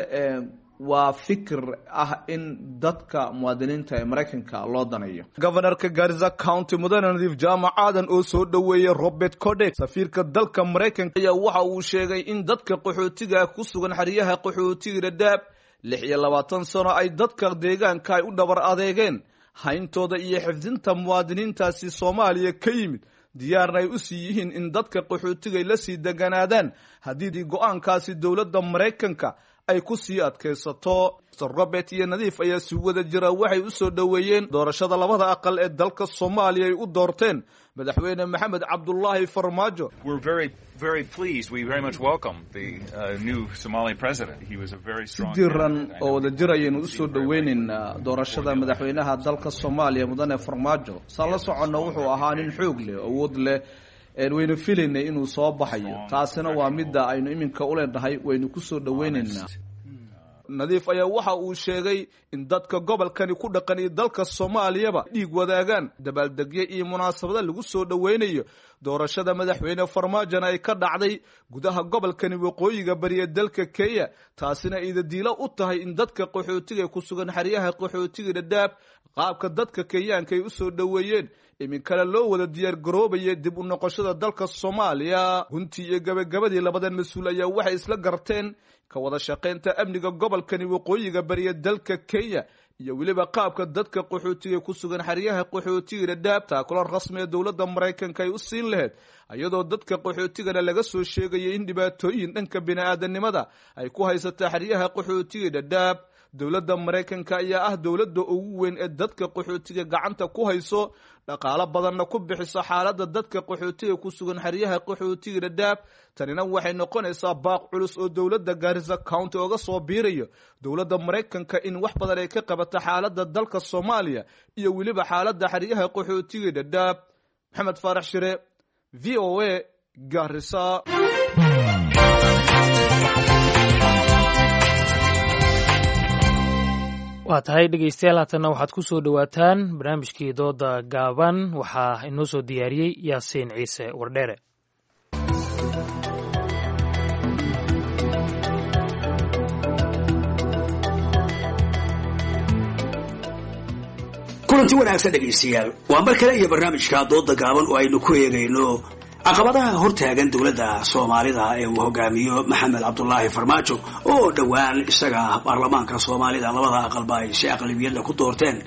waa fikir ah in dadka muwaadiniinta ee Maraykanka loo daneeyo. Governorka Garissa County, mudane Nadiif Jaamac Aadan, oo soo dhoweeyey Robert Codek, safiirka dalka Maraykanka, ayaa waxa uu sheegay in dadka qaxootiga ku sugan xeryaha qaxootiga Dhadhaab lix iyo labaatan sano ay dadka deegaanka ay u dhabar adeegeen hayntooda iyo xifdinta muwaadiniintaasi Soomaaliya ka yimid, diyaarna ay u sii yihiin in dadka qaxootiga ay la sii deganaadaan haddii go-aankaasi dowladda Maraykanka ay ku sii adkaysato. Mister Robert iyo Nadiif ayaa si wada jira waxay u soo dhoweeyeen doorashada labada aqal ee dalka Soomaaliya ay u doorteen Madaxweyne Maxamed Cabdulaahi Farmaajo. We're very, very pleased. We very much welcome the uh, new Somali president. He was a very Si strong diiran oo wada jir ayaynu usoo dhoweynaynaa doorashada madaxweynaha dalka Soomaaliya, mudane Farmaajo. Saan la soconno, wuxuu ahaa nin xoog leh, awood leh, waynu filaynay inuu soo baxayo. Taasina waa midda aynu iminka u leenahay waynu kusoo dhoweynaynaa. Nadiif ayaa waxa uu sheegay in dadka gobolkani ku dhaqan iyo dalka Soomaaliyaba dhiig wadaagaan, dabaaldegyo iyo munaasabada lagu soo dhoweynayo doorashada madaxweyne Farmaajona ay ka dhacday gudaha gobolkani waqooyiga bari ee dalka Kenya, taasina idadiilo u tahay in dadka qaxootiga ku sugan xeryaha qaxootiga Dhadhaab qaabka dadka Kenyaanka ay u soo dhoweeyeen iminkana loo wada diyaar garoobaya dib u noqoshada dalka Soomaaliya. Guntii iyo gabagabadii, labadan mas-uul ayaa waxay isla garteen ka wada shaqaynta amniga gobolkani waqooyiga bariya dalka Kenya iyo weliba qaabka dadka qaxootiga ku sugan xeryaha qaxootiga Dhadhaab taakula rasmi ee dowladda Maraykanka ay u siin lahayd, iyadoo dadka qaxootigana laga soo sheegayay in dhibaatooyin dhanka bini'aadanimada ay ku haysata xeryaha qaxootiga Dhadhaab. Dowladda Maraykanka ayaa ah dowladda ugu weyn ee dadka qaxootiga gacanta ku hayso, dhaqaalo badanna ku bixiso xaaladda dadka qaxootiga ku sugan xeryaha qaxootiga Dhadhaab. Tanina waxay noqonaysaa baaq culus oo dowladda Garissa County oga soo biirayo dowladda Maraykanka in wax badan ay ka qabato xaaladda dalka Soomaaliya iyo weliba xaaladda xeryaha qaxootiga Dhadhaab. Maxamed Faarax Shire, V O A, Garissa. Waa tahay dhegeystayaal, haatanna waxaad ku soo dhowaataan barnaamijkii dooda gaaban. Waxaa inoo soo diyaariyey Yaasiin Ciise Wardheere. Kulanti wanaagsan dhegaystayaal, waa mar kale iyo barnaamijka dooda gaaban oo aynu ku eegayno caqabadaha hortaagan dowladda Soomaalida ee uu hogaamiyo Maxamed Cabdulaahi Farmaajo, oo dhowaan isaga baarlamaanka Soomaalida labada aqalba ay si aqlabiyadla ku doorteen,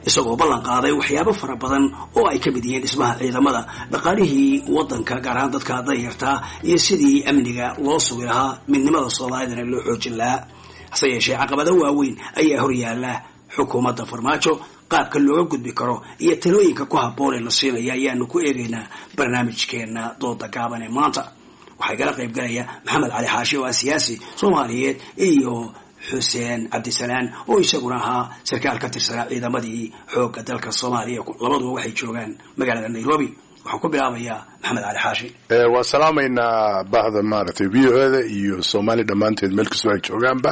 isagoo ballan qaaday waxyaabo fara badan oo ay ka mid yihiin dhismaha ciidamada, dhaqaalihii waddanka, gaar ahaan dadka danyartaa, iyo sidii amniga loo sugi lahaa, midnimada Soomaalidana loo xoojin lahaa. Hase yeeshee caqabado waaweyn ayaa horyaala xukuumadda Farmaajo. Qaabka looga gudbi karo iyo talooyinka ku habboon ee la siinaya ayaanu ku eegaynaa barnaamijkeena dooda gaaban ee maanta. Waxaa igala qayb galaya Maxamed Cali Xaashi oo ah siyaasi Soomaaliyeed iyo Xuseen Cabdisalaan oo isaguna ahaa sarkaal ka tirsanaa ciidamadii xoogga dalka Soomaaliya. Labaduba waxay joogaan magaalada Nairobi. Waxaan ku bilaabayaa Maxamed Cali Xaashi. Waa salaamaynaa bahda maaragtay V O da iyo Soomaali dhammaanteed meel kastoo ay joogaanba.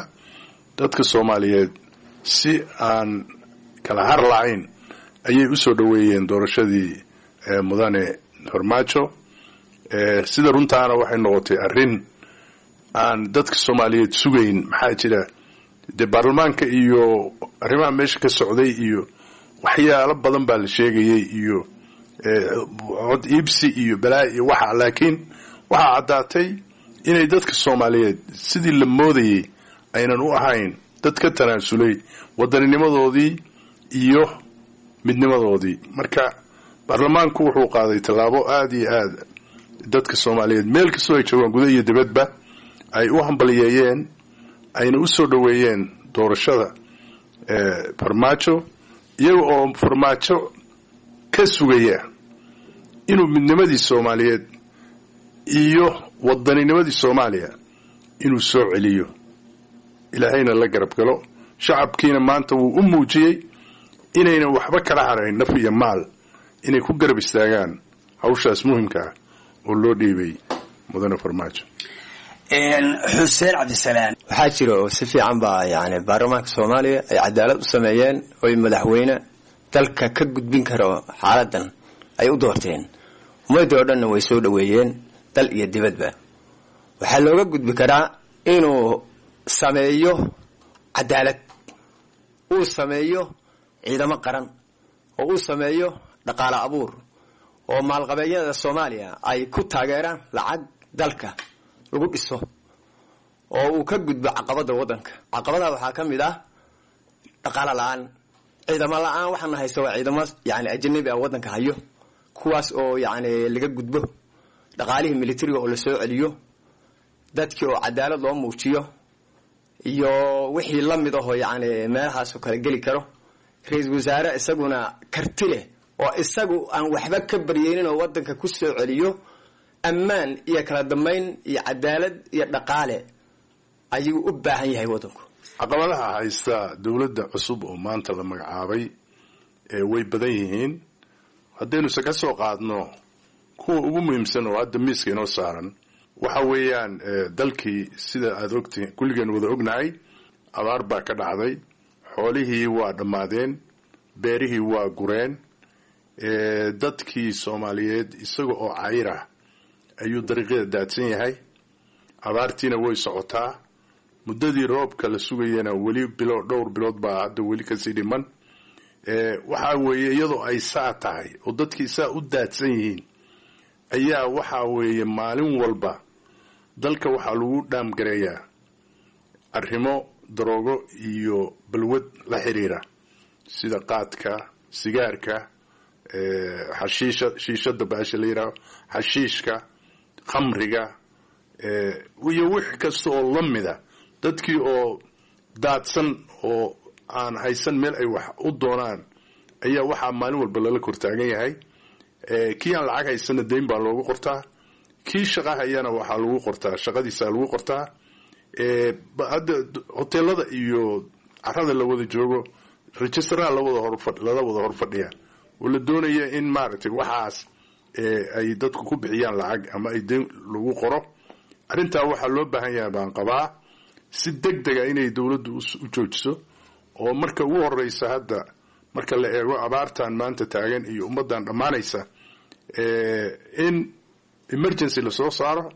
Dadka Soomaaliyeed si aan kala har lahayn ayay usoo dhoweeyeen doorashadii mudane Farmaajo. Sida runtaana waxay noqotay arrin aan dadka Soomaaliyeed sugayn. Maxaa jira, dee baarlamaanka iyo arrimaha meesha ka socday iyo waxyaalo badan baa la sheegayay iyo cod iibsi iyo balaa iyo waxa, laakiin waxaa caddaatay inay dadka Soomaaliyeed sidii la moodayay aynan u ahayn dad ka tanaasulay waddaninimadoodii iyo midnimadoodii. Marka baarlamaanku wuxuu qaaday tallaabo aada iyo aada dadka Soomaaliyeed meel kastoo ay joogaan gudaha iyo dibadba ay u hambaliyeeyeen, ayna u soo dhoweeyeen doorashada Farmaajo, iyaga oo Farmaajo ka sugaya inuu midnimadii Soomaaliyeed iyo waddaninimadii Soomaaliya inuu soo celiyo, ilaahayna la garab galo. Shacabkiina maanta wuu u muujiyey inayna waxba kala harayn, naf iyo maal inay ku garab istaagaan hawshaas muhimka ah oo loo dhiibay mudane Farmaajo. Xuseen Cabdisalaan. Waxaa jira oo si fiican baa yani baarlamaanka Soomaaliya ay cadaalad u sameeyeen, oy madaxweyne dalka ka gudbin karo xaaladan ay u doorteen. Ummadii oo dhanna way soo dhoweeyeen, dal iyo dibadba. Waxaa looga gudbi karaa inuu sameeyo cadaalad, uu sameeyo ciidamo qaran, oo uu sameeyo dhaqaale abuur, oo maalqabeedyada Soomaaliya ay ku taageeraan lacag dalka lagu dhiso, oo uu ka gudbo caqabada waddanka. Caqabadaha waxaa ka mid ah dhaqaale la-aan, ciidamo la-aan. Waxaana haysta waa ciidamo yani ajanabi ah waddanka hayo, kuwaas oo yani laga gudbo, dhaqaalihii militariga oo lasoo celiyo, dadkii oo cadaalad loo muujiyo, iyo wixii la mid ahoo yani meelahaasoo kale geli karo. Ra-iisul wasaare isaguna karti leh oo isagu aan waxba ka baryeynin oo waddanka ku soo celiyo ammaan iyo kala dambayn iyo cadaalad iyo dhaqaale ayuu u baahan yahay waddanku. Caqabadaha haysta dowladda cusub oo maanta la magacaabay way badan yihiin. Haddaynuse ka soo qaadno kuwa ugu muhiimsan oo hadda miiska inoo saaran, waxa weeyaan dalkii sida aada ogtihiin, kulligeen wada ognahay, abaar baa ka dhacday, xoolihii waa dhammaadeen, beerihii waa gureen, dadkii Soomaaliyeed isaga oo cayr ah ayuu dariiqyada daadsan yahay. Abaartiina way socotaa, muddadii roobka la sugayana weli bilo dhowr bilood baa hadda weli kasii dhiman. Waxa weeye iyadoo ay saa tahay oo dadkii saa u daadsan yihiin ayaa waxaa weeye maalin walba dalka waxaa lagu dhaamgareeyaa arrimo daroogo iyo balwad la xiriira, sida qaadka, sigaarka, xashiisha, shiishada baasha la yidhaaho, xashiishka, khamriga iyo wix kasta oo la mida. Dadkii oo daadsan oo aan haysan meel ay wax u doonaan ayaa waxaa maalin walba lala kortaagan yahay. Kii aan lacag haysana dayn baa loogu qortaa, kii shaqa hayana waxaa lagu qortaa shaqadiisa lagu qortaa. Hadda hoteelada iyo carada la wada joogo registeraha lawada hor lala wada horfadhiya oo la doonaya in maaragtay waxaas ay dadku ku bixiyaan lacag ama ay dayn lagu qoro. Arrintaa waxaa loo baahan yahay baan qabaa si deg dega inay dowladdu u joojiso, oo marka ugu horeysa hadda marka la eego abaartan maanta taagan iyo ummaddan dhammaanaysa, in emergency lasoo saaro.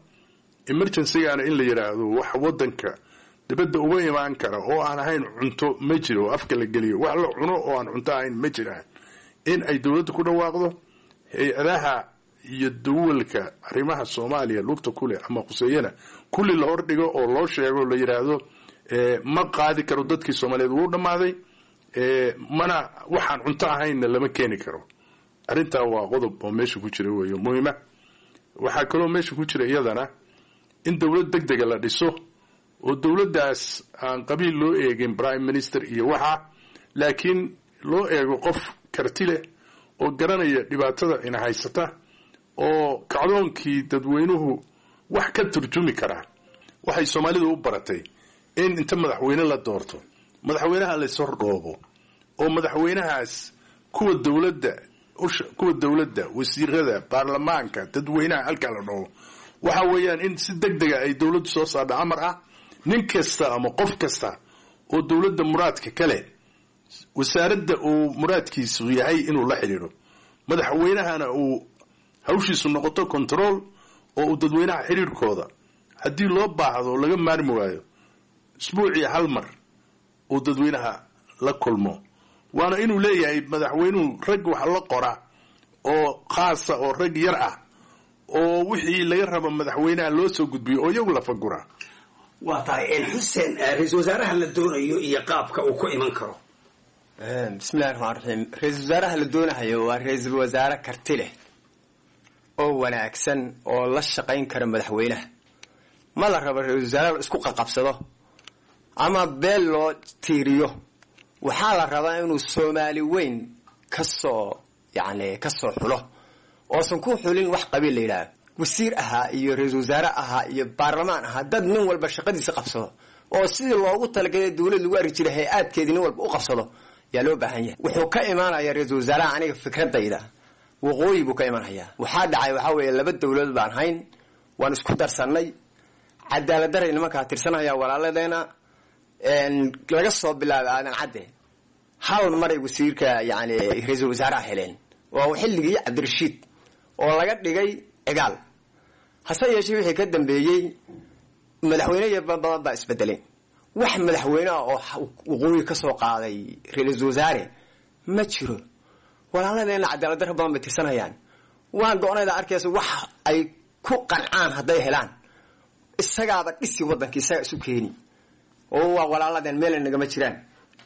Emergencygaana in la yidhaahdo wax waddanka dibadda uga imaan kara oo aan ahayn cunto ma jiro, oo afka la geliyo wax la cuno oo aan cunto ahayn ma jiraan, in ay dowladda ku dhawaaqdo. Hay-adaha iyo duwalka arrimaha Soomaaliya lugta kuleh ama khuseeyana kulli la hordhigo oo loo sheego, la yidhaahdo ma qaadi karo, dadkii Soomaaliyeed wuu dhammaaday, mana waxaan cunto ahaynna lama keeni karo. Arrintaa waa qodob oo meesha ku jira weeyo muhiima. Waxaa kaloo meesha ku jira iyadana in dowlad deg dega la dhiso, oo dowladdaas aan qabiil loo eegin prime minister iyo waxa, laakiin loo eego qof karti leh oo garanaya dhibaatada ina haysata, oo kacdoonkii dadweynuhu wax ka turjumi karaa. Waxay Soomaalidu u baratay in inta madaxweyne la doorto madaxweynaha la ishordhoobo, oo madaxweynahaas kuwa dowladda kuwa dowladda wasiirada, baarlamaanka, dadweynaha halkaa la dhoobo. Waxa weeyaan in si deg dega ay dowladdu soo saardha amar ah nin kasta ama qof kasta oo dowladda muraadka kale wasaaradda uu muraadkiisu yahay inuu la xidhiidho, madaxweynahana uu hawshiisu noqoto control oo uu dadweynaha xidhiidhkooda haddii loo baahdo laga maarmi waayo isbuucii hal mar uu dadweynaha la kulmo. Waana inuu leeyahay madaxweynuhu rag wax la qora oo khaasa oo rag yar ah oo wixii laga rabo madaxweynaha loo soo gudbiyo oo iyagu la fagura. Waa tahay Xuseen, ra-iisul wasaaraha la doonayo iyo qaabka uu ku iman karo. Bismillahi raxmaan raxiim. Ra-iisul wasaaraha la doonahayo waa ra-iisul wasaare karti leh oo wanaagsan oo la shaqayn kara madaxweynaha. Ma la rabo ra-iisul wasaare la isku qaqabsado ama beel loo tiiriyo. Waxaa la rabaa inuu Soomaali weyn kasoo yacni kasoo xulo, oosan ku xulin wax qabiil la yidhaaho. Wasiir ahaa iyo ra-iisul wasaare ahaa iyo baarlamaan ahaa, dad nin walba shaqadiisa qabsado oo sidii loogu talagalay dowlad lagu arki jiray hay-aadkeedii nin walba u qabsado yaa loo baahan yahay. Wuxuu ka imaanayaa ra-iisul wasaaraha, aniga fikradayda, waqooyi buu ka imanhayaa. Waxaa dhacay waxaa weeye laba dowladood baan hayn, waan isku darsannay. Cadaalad daray nimankaa tirsanaya walaaladeena. Laga soo bilaabay Aadan Cadde, hal maray wasiirka yani ra-iisul wasaaraha heleen, waa xilligii Cabdirashiid oo laga dhigay Cigaal. Hase yeeshee wixii ka dambeeyey madaxweyne badan baa isbedelay. Wax madaxweyneha oo waqooyi ka soo qaaday ra-iisul wasaare ma jiro. Walaaladeena cadaalad darro badan bay tirsanayaan. Waan go-onayda arkaysa wax ay ku qancaan hadday helaan, isagaaba dhisi waddanka, isagaa isu keeni oo waa walaaladeen, meelna nagama jiraan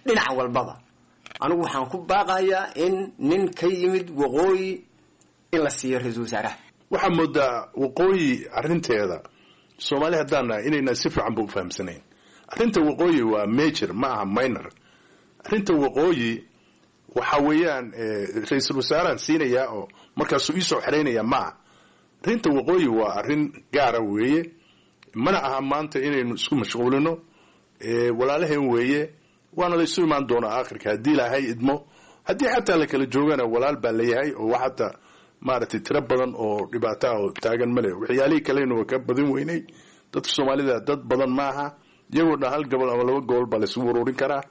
dhinac walbaba. Anigu waxaan ku baaqayaa in nin ka yimid waqooyi in la siiyo ra-iisul wasaaraha. Waxaa moodaa waqooyi arrinteeda Soomaali haddaan nahay inayna si fiican ba u fahamsanayn. Arrinta waqooyi waa major, ma aha minor. Arrinta waqooyi waxa weeyaan ra-iisul wasaaraan siinayaa oo markaasuu iisoo xeraynaya ma aha. Arrinta waqooyi waa arrin gaara weeye, mana aha maanta inaynu isku mashquulino. Walaalaheen weeye, waana la isu imaan doonaa aakhirka haddii Ilaahay idmo. Haddii xataa la kala joogana walaal baa layahay, oo wax hataa maaragtay tiro badan oo dhibaato ah oo taagan male. Waxyaalihii kalena waa ka badan weynay. Dadka Soomaalida dad badan maaha, iyagoo dhan hal gobol ama laba gobol baa laysugu ururin karaa.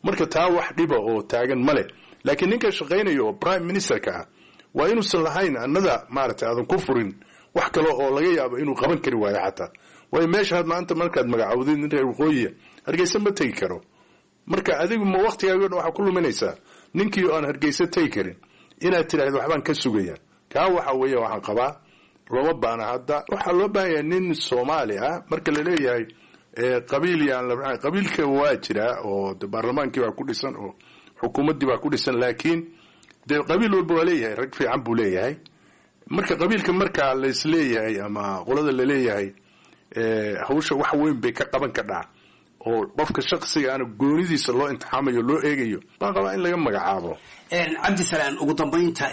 Marka taa wax dhiba oo taagan male. Laakiin ninka shaqaynaya oo prime ministerka ah waa inuusan lahayn annada maaragtay aadan ku furin wax kale oo laga yaabo inuu qaban kari waayo xataa. Waayo meesha maanta markaad magacawdid nin reer waqooyiya Hargeysa ma tegi karo. Marka adigu ma waktigaago dhan waxaa ku luminaysaa ninkii oo aan Hargeysa tegi karin inaad tidhaahdo waxbaan ka sugaya. Kaa waxa weeye waxaan qabaa looma baana. Hadda waxaa loo baahan yahay nin Soomaali ah. Marka la leeyahay qabiil yaan la, qabiilka waa jiraa oo de baarlamaankii baa ku dhisan oo xukuumaddii baa ku dhisan, laakiin dee qabiil walba waa leeyahay rag fiican buu leeyahay. Marka qabiilka markaa laisleeyahay ama qolada laleeyahay hawsha wax weyn bay ka qaban kadhaa oo qofka shaksiga aana goonidiisa loo intixaamayo loo eegayo, baan qabaa in laga magacaabo. Cabdisalaan, ugu dambaynta,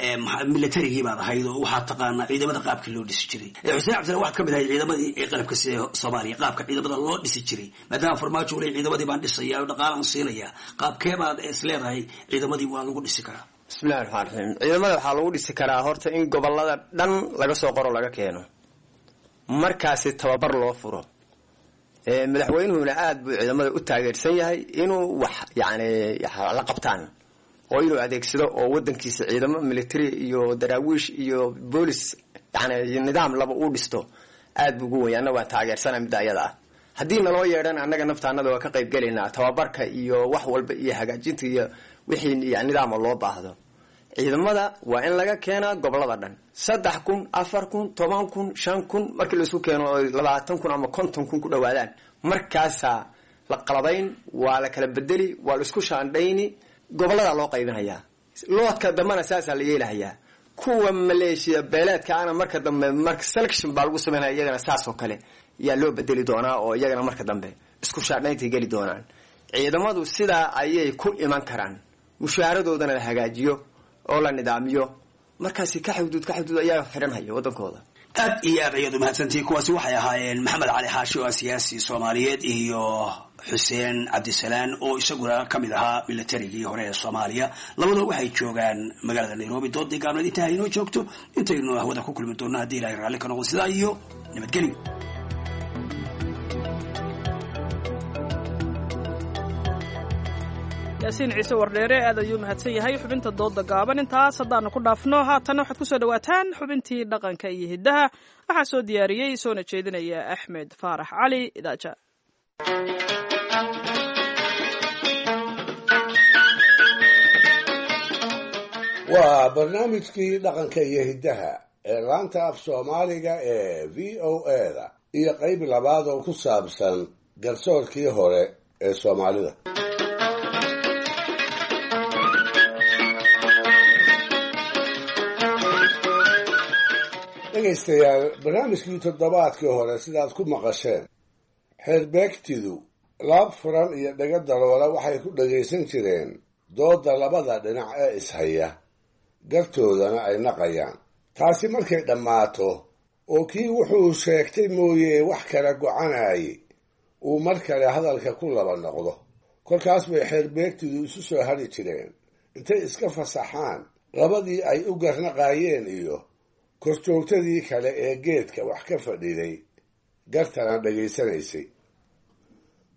militarigii baad ahayd oo waxaad taqaanaa ciidamada qaabkii loo dhisi jiray. Xuseen Cabdisalaan, waxaad ka mid ahayd ciidamadii qalabka sida Soomaaliya qaabka ciidamada loo dhisi jiray, maadaama Farmaajo uley ciidamadii baan dhisaya oo dhaqaalaan siinaya, qaabkee baad is leedahay ciidamadii waa lagu dhisi karaa? Bismillahi raxmaan raxiim. Ciidamada waxaa lagu dhisi karaa horta in gobolada dhan laga soo qoro, laga keeno, markaasi tababar loo furo. Madaxweynuhuna aada buu ciidamada u taageersan yahay inuu wax yacni la qabtaan oo inuu adeegsado oo wadankiisa ciidamo military iyo daraawiish iyo boolis yani nidaam laba uu dhisto aad buu ugu wenya. Anna waan taageersana midda ayada ah. Haddii naloo yeedhan annaga naftaanada waa ka qayb gelaynaa tababarka iyo wax walba iyo hagaajinta iyo wixii nidaama loo baahdo. Ciidamada waa in laga keenaa gobolada dhan, saddex kun, afar kun, toban kun, shan kun, markii laisku keeno oo labaatan kun ama konton kun ku dhawaadaan, markaasaa la qalabayn, waa la kala bedeli, waa la isku shaandhayni, gobolladaa loo qaybinayaa. Loodka dambena saasaa la yeelahayaa. Kuwa maleeshiya beeleedka ana marka dambe marka selection baa lagu sameynaya, iyagana saas oo kale yaa loo bedeli doonaa oo iyagana marka dambe isku shaandhayntay geli doonaan. Ciidamadu sidaa ayay ku iman karaan, mushaharadoodana la hagaajiyo oo la nidaamiyo, markaasi ka xuduud ka xuduud ayaa xidhanhaya waddankooda. Aad iyo aad ayaad umahadsantihiin. Kuwaasi waxay ahaayeen Maxamed Cali Xaashi oo ah siyaasi Soomaaliyeed iyo Xuseen Cabdisalaan oo isaguna ka mid ahaa militarigii hore ee Soomaaliya. Labadoo waxay joogaan magaalada Nairobi. Doodii gaabneed intaa inoo joogto, intaynu hawada ku kulmi doonno haddii Ilahay raalli ka noqdo, sidaa iyo nabadgelyo. Yaasiin Ciise Wardheere aad ayuu mahadsan yahay. Xubinta dooda gaaban intaas haddaanu ku dhaafno. Haatanna waxaad kusoo dhawaataan xubintii dhaqanka iyo hiddaha. Waxaa soo diyaariyey soona jeedinaya Axmed Faarax Cali Idaaja. Waa barnaamijkii dhaqanka iyo hiddaha ee laanta af Soomaaliga ee V O A da iyo qayb labaad oo ku saabsan garsoorkii hore ee Soomaalida. Dhegaystayaal, barnaamijkii toddobaadkii hore sidaad ku maqasheen, xeerbeegtidu laab furan iyo dhaga daloola waxay ku dhagaysan jireen doodda labada dhinac ee ishaya, gartoodana ay naqayaan. Taasi markay dhammaato oo kii wuxuu sheegtay mooye wax kala gocanayay uu mar kale hadalka ku laba noqdo. Kolkaas bay xeerbeegtidu isu soo hadhi jireen intay iska fasaxaan labadii ay u garnaqaayeen iyo korjoogtadii kale ee geedka wax ka fadhiday gartana dhegaysanaysay.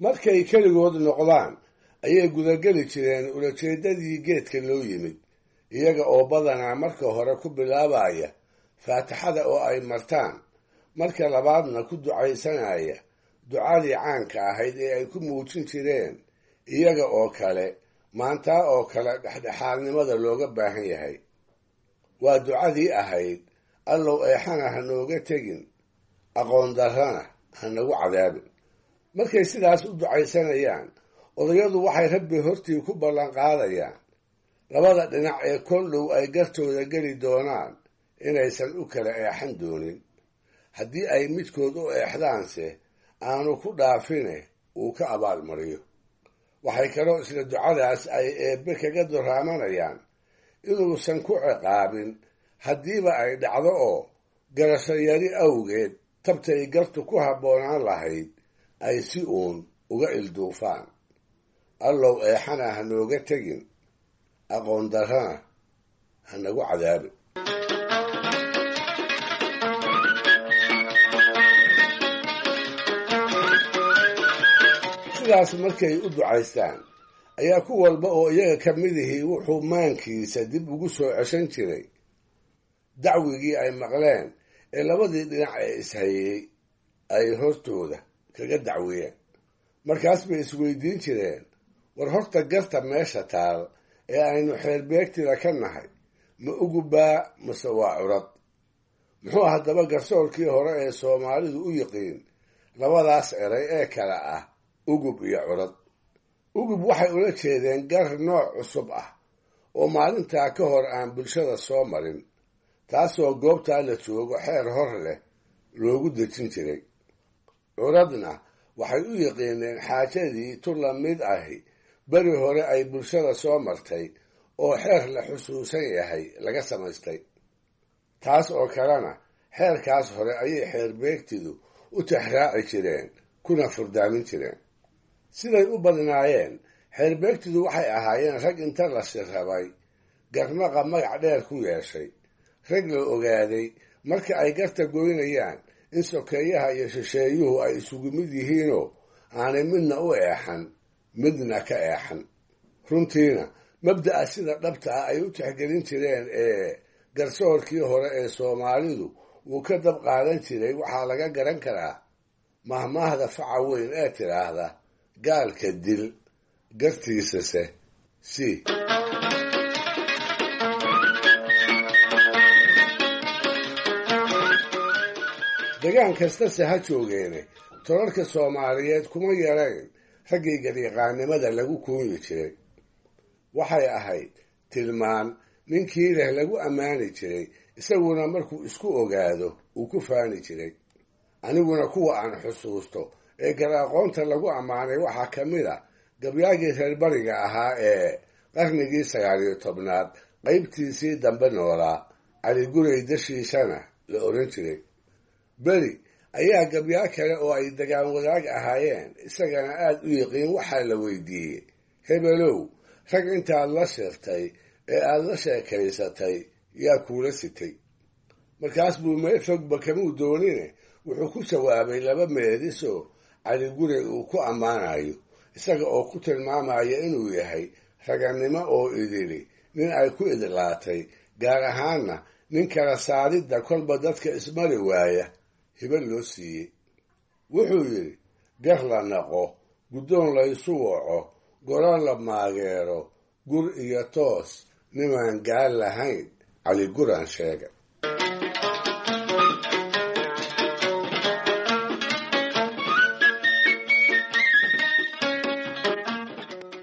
Markay keligood noqdaan ayay gudageli jireen ulajeeddadii geedka loo yimid, iyaga oo badanaa marka hore ku bilaabaya faatixada oo ay martaan, marka labaadna ku ducaysanaya ducadii caanka ahayd ee ay ku muujin jireen iyaga oo kale maantaa oo kale dhexdhexaadnimada looga baahan yahay. Waa ducadii ahayd allow eexana ha nooga tegin, aqoon darrana ha nagu cadaabin. Markay sidaas u ducaysanayaan odayadu waxay rabbi hortii ku ballanqaadayaan labada dhinac ee kol dhow ay gartooda geli doonaan inaysan u kala eexan doonin. Haddii ay midkood u eexdaanse aanu ku dhaafine uu ka abaalmariyo. Waxay kaloo isla ducadaas ay eebbe kaga duraamanayaan inuusan ku ciqaabin haddiiba ay dhacdo oo garasho yari awgeed tabtay gartu ku habboonaan lahayd ay si uun uga ilduufaan. Allow eexana ha nooga tegin, aqoon darrana ha nagu cadaabin. Sidaas markay u ducaystaan ayaa ku walba oo iyaga ka midihii wuxuu maankiisa dib ugu soo ceshan jiray dacwigii ay maqleen ee labadii dhinac ee ishayey ay hortooda kaga dacwiyeen. Markaas bay isweydiin jireen, war horta garta meesha taal ee aynu xeerbeegtida ka nahay ma ugubaa mase waa curad? Muxuu haddaba garsoorkii hore ee Soomaalidu u yiqiin labadaas eray ee kale ah ugub iyo curad? Ugub waxay ula jeedeen gar nooc cusub ah oo maalintaa ka hor aan bulshada soo marin, taasoo goobtaa la joogo xeer hor leh loogu dejin jiray. Curadna waxay u yiqiineen xaajadii tu la mid ahi beri hore ay bulshada soo martay oo xeer la xusuusan yahay laga samaystay. Taas oo kalena xeerkaas hore ayay xeerbeegtidu u tixraaci jireen kuna furdaamin jireen. Siday u badnaayeen xeerbeegtidu waxay ahaayeen rag inta la shirrabay garnaqa magac dheer ku yeeshay, rag la ogaaday marka ay garta goynayaan in sokeeyaha iyo shisheeyuhu ay isugu mid yihiinoo aanay midna u eexan midna ka eexan. Runtiina mabda'a sida dhabta ah ay u tixgelin jireen ee garsoorkii hore ee Soomaalidu wuu ka dab qaadan jiray waxaa laga garan karaa mahmaahda faca weyn ee tidhaahda gaalka dil gartiisase si. Degaan kastase ha joogeene tolalka Soomaaliyeed kuma yarayn raggii gariiqaannimada lagu kuunyi jiray. Waxay ahayd tilmaan ninkii leh lagu ammaani jiray, isaguna markuu isku ogaado uu ku faani jiray. Aniguna kuwa aan xusuusto ee gar-aqoonta lagu ammaanay waxaa ka mid a gabyaagii reer bariga ahaa ee qarnigii sagaal iyo tobnaad qaybtiisii dambe noolaa, Cali Gurey dashiisana la oran jiray. Beri ayaa gabyaa kale oo ay degaan wadaag ahaayeen isagana aad u yiqiin waxaa la weydiiyey, hebelow rag intaad la shirtay ee aad la sheekaysatay yaa kuula sitay? Markaas buu meel fogba kamuu doonine wuxuu ku jawaabay laba meedisoo Cali Gurey uu ku ammaanayo, isaga oo ku tilmaamaya inuu yahay ragannimo oo idili nin ay ku idlaatay, gaar ahaanna nin kala saaridda kolba dadka ismari waaya hiba loo siiyey. Wuxuu yidhi, gar la naqo, guddoon laysu waco, goro la maageero, gur iyo toos nimaan gaal lahayn, Cali Guraan sheegay.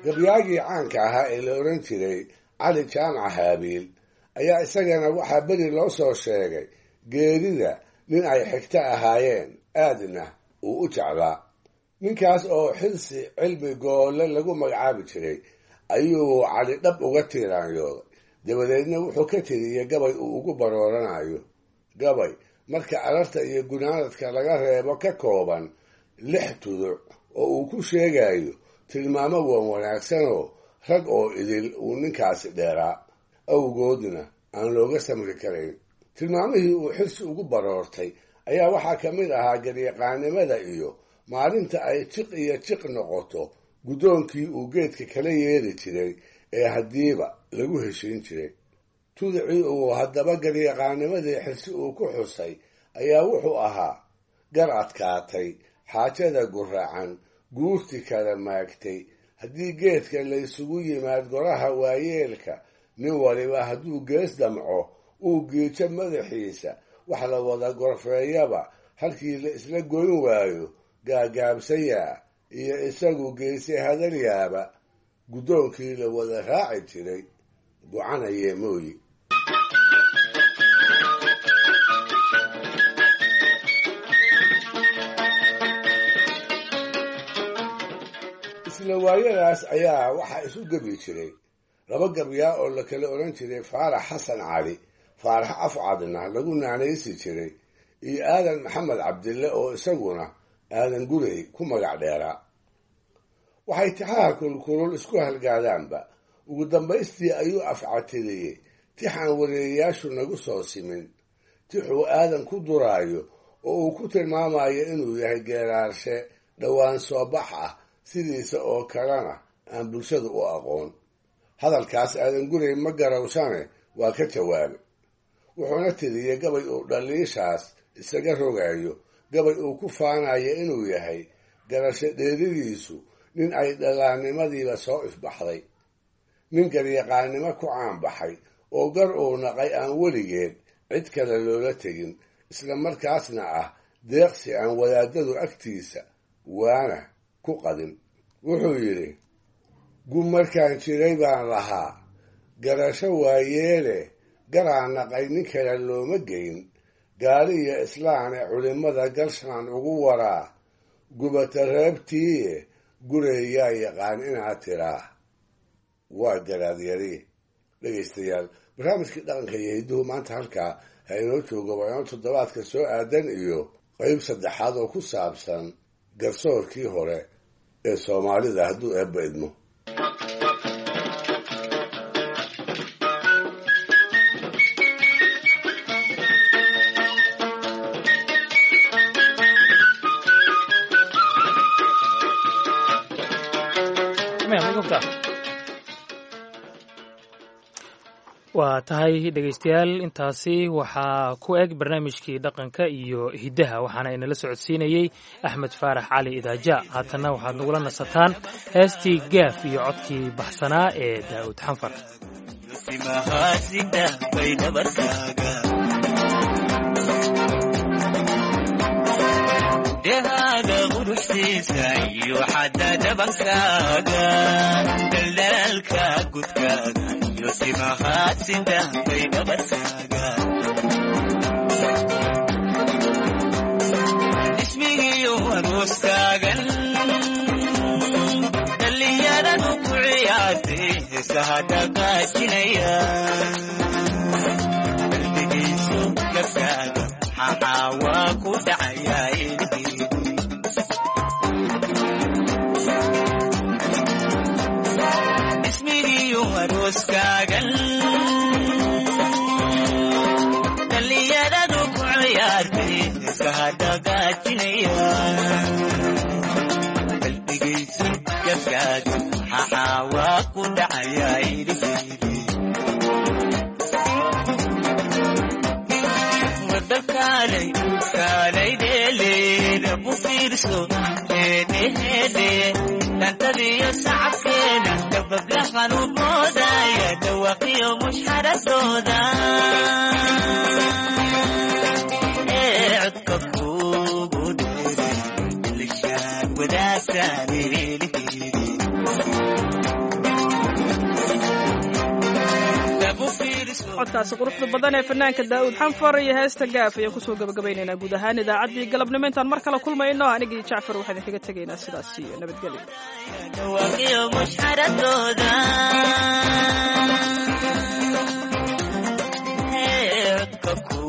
Gabyaagii caanka ahaa ee la oran jiray Cali Jaamac Haabiil ayaa isagana waxaa beri loo soo sheegay geerida nin ay xigto ahaayeen aadna uu u jeclaa. Ninkaas oo xilsi cilmi goolle lagu magacaabi jiray ayuu Cali dhab uga tiiraanyooday. Dabadeedna wuxuu ka tiriyey gabay uu ugu barooranayo, gabay marka ararta iyo gunaanadka laga reebo ka kooban lix tuduc oo uu ku sheegayo tilmaamo wan wanaagsanoo rag oo idil uu ninkaasi dheeraa awgoodna aan looga samri karayn. Tilmaamihii uu Xirsi ugu baroortay ayaa waxaa ka mid ahaa garyaqaanimada iyo maalinta ay jiq iyo jiq noqoto guddoonkii uu geedka kala yeeri jiray ee haddiiba lagu heshiin jiray. Tudicii uu haddaba garyaqaanimadii Xirsi uu ku xusay ayaa wuxuu ahaa gar adkaatay, xaajada guraacan, guurti kala maagtay, haddii geedka laysugu yimaad goraha waayeelka, nin waliba hadduu gees damco uu giijo madaxiisa, wax la wada gorfeeyaba halkii la isla goyn waayo gaagaabsayaa iyo isagu geese hadalyaaba guddoonkii la wada raaci jiray gocanayee mooyi. Isla waayadaas ayaa waxaa isu gebi jiray laba gabyaa oo la kala odhan jiray Faarax Xasan Cali, Faarax Afcadna lagu naanaysi jiray, iyo Aadan Maxamed Cabdille oo isaguna Aadan Gurey ku magac dheeraa. Waxay tixaha kulkulul isku halgaadaanba ugu dambaystii ayuu afcatiriyey tixaan wareeyayaashu nagu soo simin, tixuu aadan ku duraayo oo uu ku tilmaamayo inuu yahay geeraarshe dhowaan soo bax ah, sidiisa oo kalena aan bulshadu u aqoon. Hadalkaas Aadan Gurey ma garawsane waa ka jawaabay, wuxuuna tiriyey gabay uu dhaliishaas isaga rogayo, gabay uu ku faanayo inuu yahay garasho dheeridiisu nin ay dhalaannimadiiba soo ifbaxday, nin garyaqaannimo ku caanbaxay oo gar uu naqay aan weligeed cid kale loola tegin, isla markaasna ah deeqsi aan wadaadadu agtiisa waana ku qadin. Wuxuu yidhi: gu markaan jiray baan lahaa garasho waayeele, garaa naqay nin kale looma geyn, gaali iyo islaane culimmada galshaan ugu waraa, gubata reebtiiye gureeyaa yaqaan inaad tiraa waa garaadyari. Dhegaystayaal, barnaamijkii dhaqanka iyo hidduhu maanta halkaa ha inoo joogo waa inoo toddobaadka soo aadan iyo qayb saddexaad oo ku saabsan garsoorkii hore ee Soomaalida hadduu eebba idmo. Waa tahay dhegaystayaal, intaasi waxaa ku eg barnaamijkii dhaqanka iyo hiddaha, waxaana inala socodsiinayey Axmed Faarax Cali Idaaja. Haatanna waxaad nagula nasataan heestii Gaaf iyo codkii baxsanaa ee Daa'uud Xanfar. Dehaaga quruxsiisa iyo xadda dhabankaaga, daldalaalka gudkaaga iyo simahaadsinta bay dhabarkaaga, ismigiyo aroostaagan dhallinyaradu ku ciyaartay heesaha dhaqaajinaya, qalbigiisu gabkaaga xaxaa waa ku dhacayaa. Ismigiyo arooskaagan dhallinyaradu ku ciyaartay heesaha dhaqaajinaya, qalbigaysu gabkaaga xaxaa waa ku dhacayaa iliheydi. Wadalkaalay kaalay dheeleeda ku fiirso heedheheedhe dhantadiyo sacabkeena dabablahan u moodaya dhawaqiyo mushxaradooda ee codka kugu dheeray ilishaan wadaagtaan heliheedi. Codkaasi quruxda badan ee fanaanka Daa'uud Xanfar iyo heesta Gaaf ayaan kusoo gabagabaynaynaa guud ahaan idaacaddii galabnimo. Intaan mar kale kulmayno, anigii Jacfar waxaan idinkaga tegaynaa sidaas iyo nabadgelyo. Dhawaqiyo mushxaradooda ee codka ku